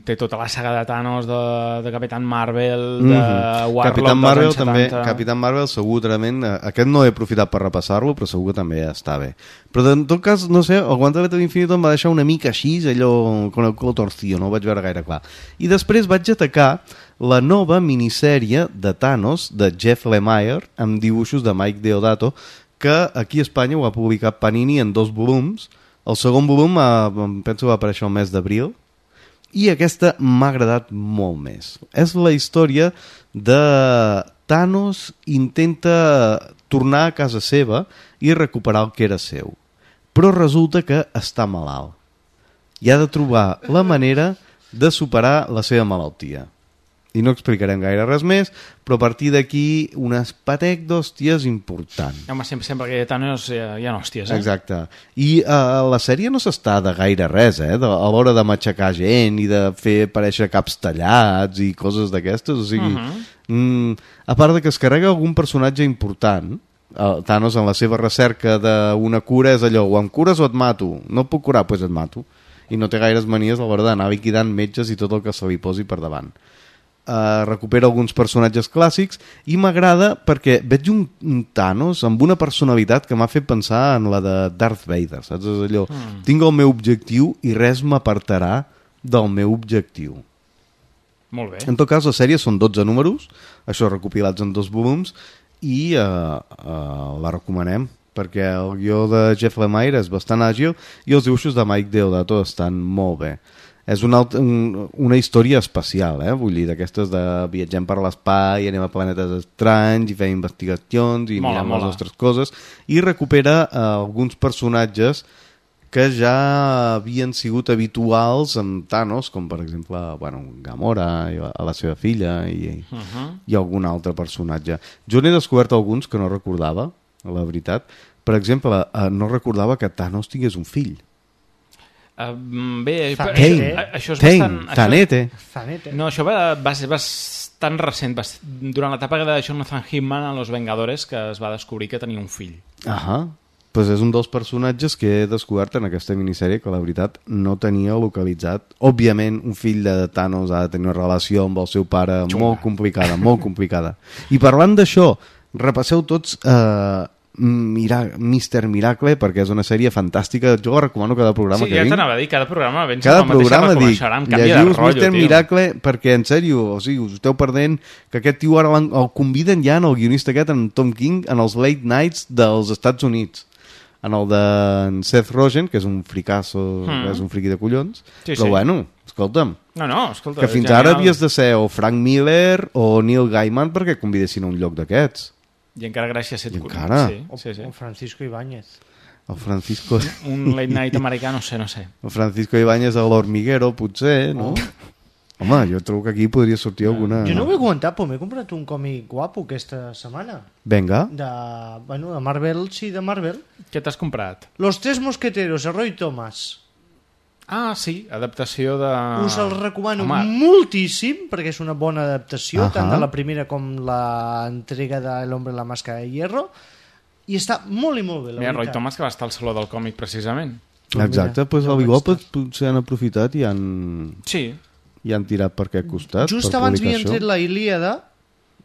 té tota la saga de Thanos, de, de Capitán Marvel, de mm-hmm. Warlock, Capitán Marvel dels anys també, setanta... Capitán Marvel segurament, aquest no he aprofitat per repassar-lo, però segur que també està bé. Però en tot cas, no sé, el Guantelete de l'Infinito em va deixar una mica així, allò con el culo torcido, no ho vaig veure gaire clar. I després vaig atacar la nova minissèrie de Thanos, de Jeff Lemire, amb dibuixos de Mike Deodato, que aquí a Espanya ho ha publicat Panini en dos volums. El segon volum eh, penso que va aparèixer el mes d'abril i aquesta m'ha agradat molt més. És la història de Thanos intenta tornar a casa seva i recuperar el que era seu. Però resulta que està malalt i ha de trobar la manera de superar la seva malaltia. i no explicarem gaire res més, però a partir d'aquí un espatec d'hòsties important. Home, sempre, sempre que hi ha Thanos hi ha, hi ha hòsties, eh? Exacte. I uh, la sèrie no s'està de gaire res, eh? De, a l'hora de matxacar gent i de fer aparèixer caps tallats i coses d'aquestes, o sigui... Uh-huh. mm, a part de que es carrega algun personatge important, uh, Thanos en la seva recerca d'una cura és allò, o em cures o et mato. No et puc curar, doncs pues et mato. I no té gaires manies a l'hora d'anar liquidant metges i tot el que se li posi per davant. Uh, recupera alguns personatges clàssics i m'agrada perquè veig un, un Thanos amb una personalitat que m'ha fet pensar en la de Darth Vader, saps? És allò, mm. tinc el meu objectiu i res m'apartarà del meu objectiu. Molt bé. En tot cas, la sèrie són dotze números, això recopilats en dos volums, i uh, uh, la recomanem perquè el guió de Jeff Lemire és bastant àgil i els dibuixos de Mike Deodato estan molt bé. És una, un, una història especial, eh? Vull dir, d'aquestes de viatgem per l'espai, anem a planetes estranys i fem investigacions i mola, mirem mola. les nostres coses, i recupera eh, alguns personatges que ja havien sigut habituals amb Thanos, com per exemple, bueno, Gamora, i la, la seva filla i, uh-huh. i algun altre personatge. Jo n'he descobert alguns que no recordava, la veritat. Per exemple, eh, no recordava que Thanos tingués un fill. Uh, bé, Tanete. això, això és Tain, bastant... Tanete. Això, no, això va, va ser bastant recent, va ser, durant l'etapa de Jonathan Hickman a Los Vengadores, que es va descobrir que tenia un fill. Ahà, pues és un dels personatges que he descobert en aquesta minissèrie que la veritat no tenia localitzat. Òbviament, un fill de Thanos ha de tenir una relació amb el seu pare Xunga. molt complicada, molt complicada. I parlant d'això, repasseu tots... Eh, Mira, mister Miracle, perquè és una sèrie fantàstica. Jo la recomano cada programa sí, que ja vinc. t'anava a dir, cada programa vens cada amb la mateixa programa dic, llegius mister tio. Miracle, perquè en sèrio, o sigui, us esteu perdent que aquest tio ara el conviden ja en el guionista aquest, en Tom King, en els late nights dels Estats Units, en el de Seth Rogen, que és un fricasso, mm. és un friqui de collons, sí, però sí. bueno, escolta'm, no, no, escolta, que fins ara havies de ser o Frank Miller o Neil Gaiman perquè convidessin a un lloc d'aquests. I encara gràcies a set encara? Sí, sí, sí. O Francisco Ibáñez. El Francisco... Un late night americà, no sé, no sé. El Francisco Ibáñez a l'Hormiguero, potser, no? Oh. Home, jo trobo que aquí podria sortir alguna... Jo no ho he comentat, però m'he comprat un còmic guapo aquesta setmana. Venga. De, bueno, de Marvel, sí, de Marvel. Què t'has comprat? Los Tres Mosqueteros, de Roy Thomas. Ah, sí, adaptació de... Us el recomano Home. moltíssim, perquè és una bona adaptació, uh -huh. tant de la primera com l'entrega de L'Hombre en la Máscara de Hierro, i està molt i molt bé, la Mira, veritat. Roy Thomas, que va estar al Saló del Còmic, precisament. Exacte, doncs pues, al igual potser han aprofitat i han... Sí. I han tirat per aquest costat. Just per abans havien això. tret la Ilíada,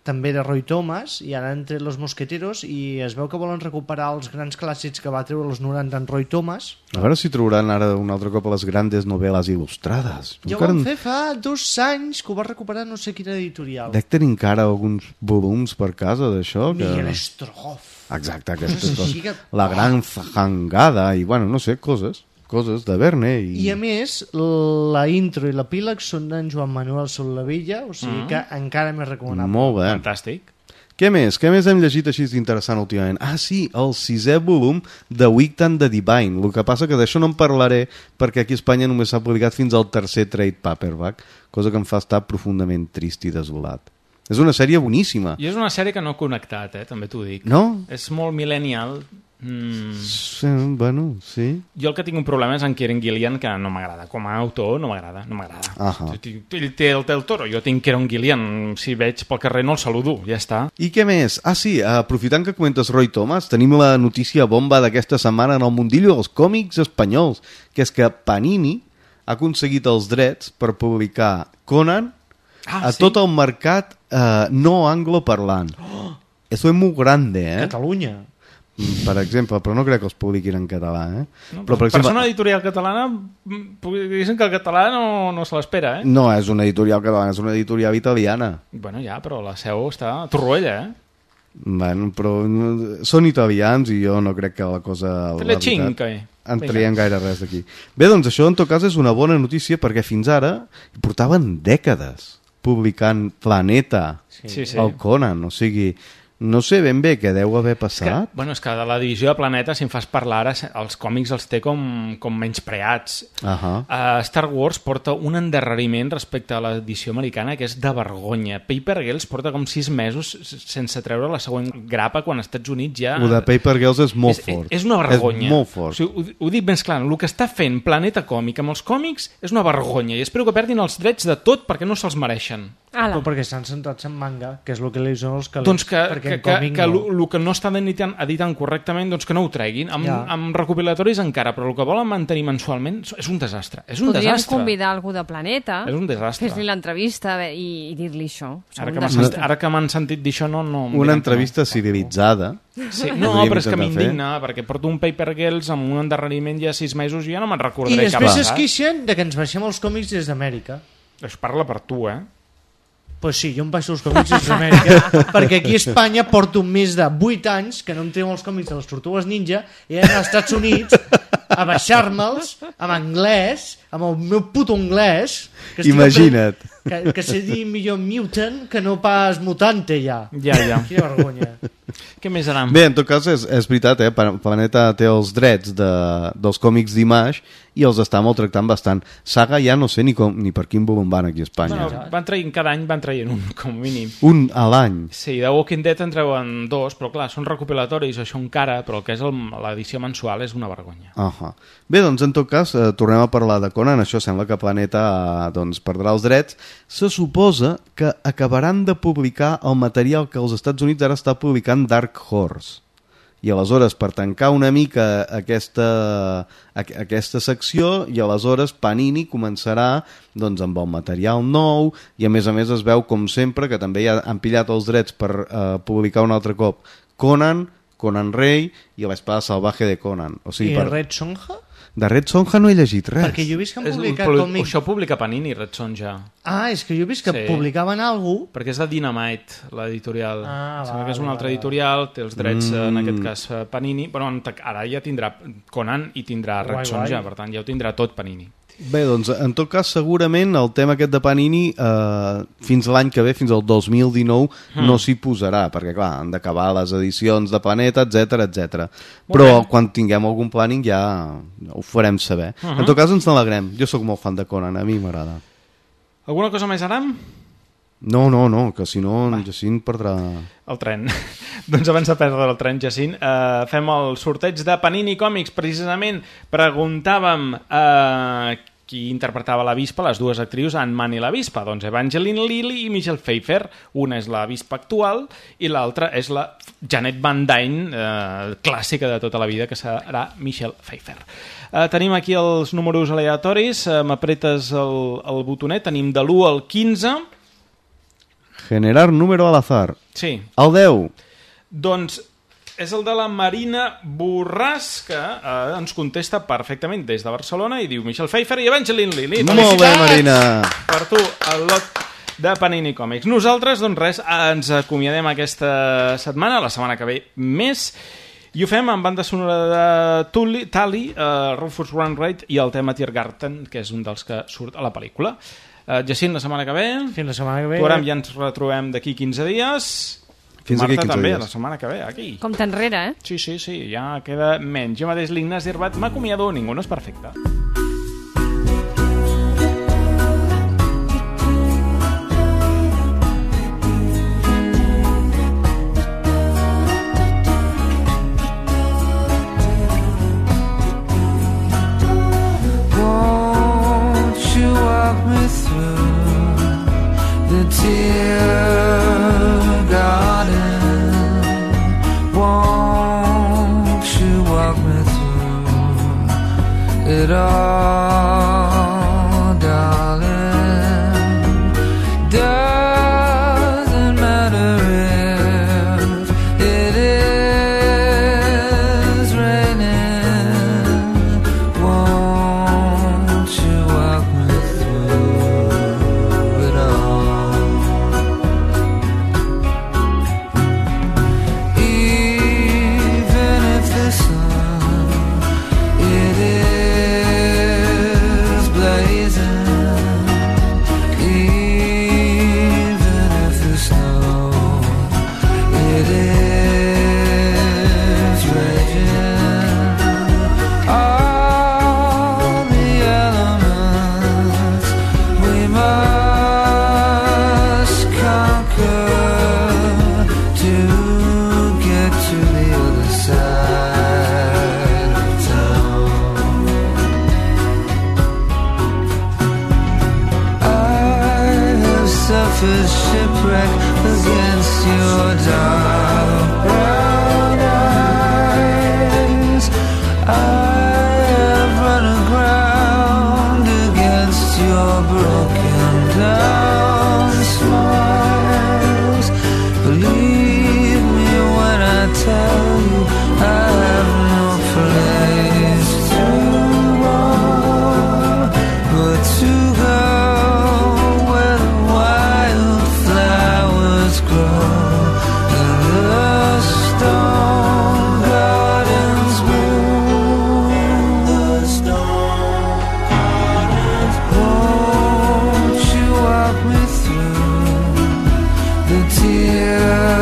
també de Roy Thomas, i ara han tret Los Mosqueteros, i es veu que volen recuperar els grans clàssics que va treure als noranta en Roy Thomas. A veure si trobaran ara un altre cop les grandes novel·les il·lustrades. Ja ho van fer fa dos anys, que ho va recuperar no sé quina editorial. Dec tenir encara alguns volums per casa d'això. Que... Miguel Strogoff. Exacte, aquesta és que... la gran fangada, i bueno, no sé, coses. coses de Verne. I... I a més, la intro i l'epíleg són d'en Joan Manuel Soldevilla, o sigui mm. que encara més recomanable. Molt bé. Fantàstic. Què més? Què més hem llegit així d'interessant últimament? Ah, sí, el sisè volum de Wictan de Divine. El que passa que d'això no en parlaré perquè aquí a Espanya només s'ha publicat fins al tercer trade paperback, cosa que em fa estar profundament trist i desolat. És una sèrie boníssima. I és una sèrie que no ha connectat, eh? També t'ho dic. No? És molt millennial. Mm. Sí, bueno, sí. Jo el que tinc un problema és en Kieran Gillian, que no m'agrada. Com a autor no m'agrada, no m'agrada. Uh-huh. Ell té el, té el toro, jo tinc Kieran Gillian. Si veig pel carrer no el saludo, ja està. I què més? Ah, sí, aprofitant que comentes Roy Thomas, tenim la notícia bomba d'aquesta setmana en el mundillo dels còmics espanyols, que és que Panini ha aconseguit els drets per publicar Conan ah, a sí? tot el mercat eh, no angloparlant. Oh. Eso es muy grande, eh? Catalunya. Per exemple, però no crec que els publiquin en català, eh? No, però, per, per exemple, ser una editorial catalana, diguéssim que el català no, no se l'espera, eh? No, és una editorial catalana, és una editorial italiana. Bueno, ja, però la seu està a Torroella, eh? Bueno, però són italians i jo no crec que la cosa... Te le cinc, eh? En traiem gaire res d'aquí. Bé, doncs això en tot cas és una bona notícia perquè fins ara portaven dècades publicant Planeta, sí, sí. el Conan, o sigui... no sé ben bé què deu haver passat. És que, bueno, és que de la divisió de Planeta, si em fas parlar ara, els còmics els té com, com menyspreats. Uh -huh. uh, Star Wars porta un endarreriment respecte a l'edició americana que és de vergonya. Paper Girls porta com sis mesos sense treure la següent grapa quan als Estats Units ja... Ho de Paper Girls és molt és, fort. És una vergonya. És molt fort. O sigui, ho, ho dic més clar, el que està fent Planeta Còmic amb els còmics és una vergonya i espero que perdin els drets de tot perquè no se'ls mereixen. Però perquè estan centrats en manga, que és el que li són els calés. Doncs que, que, que, que no. el que no estan editant, editant correctament, doncs que no ho treguin. Amb, ja. amb recopilatoris encara, però el que volen mantenir mensualment és un desastre. És un Podríem desastre. convidar algú de Planeta, és un desastre. fer-li l'entrevista i, i dir-li això. Ara que, sentit, ara que m'han sentit dir això, no... no una entrevista no. civilitzada. Sí, no, però és que m'indigna, perquè porto un Paper Girls amb un endarreriment ja sis mesos i ja no me'n recordaré. I després es queixen de que ens baixem els còmics des d'Amèrica. Això parla per tu, eh? Pues sí, jo em baixo els còmics des d'Amèrica, perquè aquí a Espanya porto més de vuit anys que no em treu els còmics de les Tortugues Ninja i he d'anar als Estats Units a baixar-me'ls en anglès, amb el meu puto anglès. Que imagina't. Que, que sé dir millor mutant que no pas mutante ja. Ja, ja. Quina vergonya. Què més anam? Bé, en tot cas és, és veritat, eh? Planeta té els drets de, dels còmics d'Image i els està maltractant bastant. Saga ja no sé ni, com, ni per quin volum van aquí a Espanya. Bueno, van traient, cada any van traient un, com a mínim. Un a l'any. Sí, de Walking Dead en treuen dos, però clar, són recopilatoris, això encara, però el que és l'edició mensual és una vergonya. Uh -huh. Bé, doncs en tot cas, eh, tornem a parlar de Conan. Això sembla que Planeta eh, doncs, perdrà els drets. Se suposa que acabaran de publicar el material que als Estats Units ara està publicant Dark Horse. I aleshores, per tancar una mica aquesta, aquesta secció, i aleshores Panini començarà doncs, amb el material nou, i a més a més es veu, com sempre, que també ja han pillat els drets per eh, publicar un altre cop Conan, Conan Rei i l'Espada Salvaje de Conan. O sigui, I per... Red Sonja? De Red Sonja no he llegit res. Perquè jo he vist que han publicat és, còmics... Això publica Panini, Red Sonja. Ah, és que jo he vist que sí. publicaven alguna cosa... Perquè és de Dynamite, l'editorial. Ah, Sembla va, que és un va, altre va. editorial, té els drets, mm. en aquest cas, Panini. Però ara ja tindrà Conan i tindrà Red guai, Sonja, guai. Per tant ja ho tindrà tot Panini. Bé, doncs, en tot cas, segurament el tema aquest de Panini eh, fins l'any que ve, fins al dos mil dinou, mm. no s'hi posarà, perquè, clar, han d'acabar les edicions de Planeta, etcètera, etcètera. Però bé. Quan tinguem algun planning ja ho farem saber. Uh -huh. En tot cas, ens n'alegrem. Jo sóc molt fan de Conan, a mi m'agrada. Alguna cosa més, Aram? No, no, no, que si no en Jacint perdrà... El tren. Doncs abans de perdre el tren, Jacint, eh, fem el sorteig de Panini Còmics. Precisament preguntàvem eh, qui interpretava la Vispa, les dues actrius, Ant-Man i la Vispa. Doncs Evangeline Lilly i Michelle Pfeiffer. Una és la Vispa actual i l'altra és la Janet Van Dyne, eh, clàssica de tota la vida, que serà Michelle Pfeiffer. Eh, tenim aquí els números aleatoris. Eh, m'apretes el, el botonet. Tenim de l'u al quinze. Generar número al azar. Sí. El deu. Doncs és el de la Marina Borràs, que eh, ens contesta perfectament des de Barcelona i diu Michelle Pfeiffer i Evangeline Lilly. Molt bé, Marina. Per tu, el lot de Panini Còmics. Nosaltres, doncs res, ens acomiadem aquesta setmana, la setmana que ve més, i ho fem amb banda sonora de Tully, Tally, uh, Rufus Wainwright i el tema Tiergarten, que és un dels que surt a la pel·lícula. Uh, Jacint, la setmana que ve. Fins la setmana que ve. Tu ara ja ens retrobem d'aquí quinze dies. Fins Marta aquí quinze també, dies. la setmana que ve, aquí. Com t'enrere, eh? Sí, sí, sí, ja queda menys. Jo mateix l'Ignasi Herbat m'acomiado, ningú no és perfecte. It all your dark brown eyes. I have run aground against your broken down smiles. Believe me when I tell you I have no place to roam but to go where the wildflowers grow and the stone gardens bloom. The stone gardens bloom. Won't you walk me through the tears?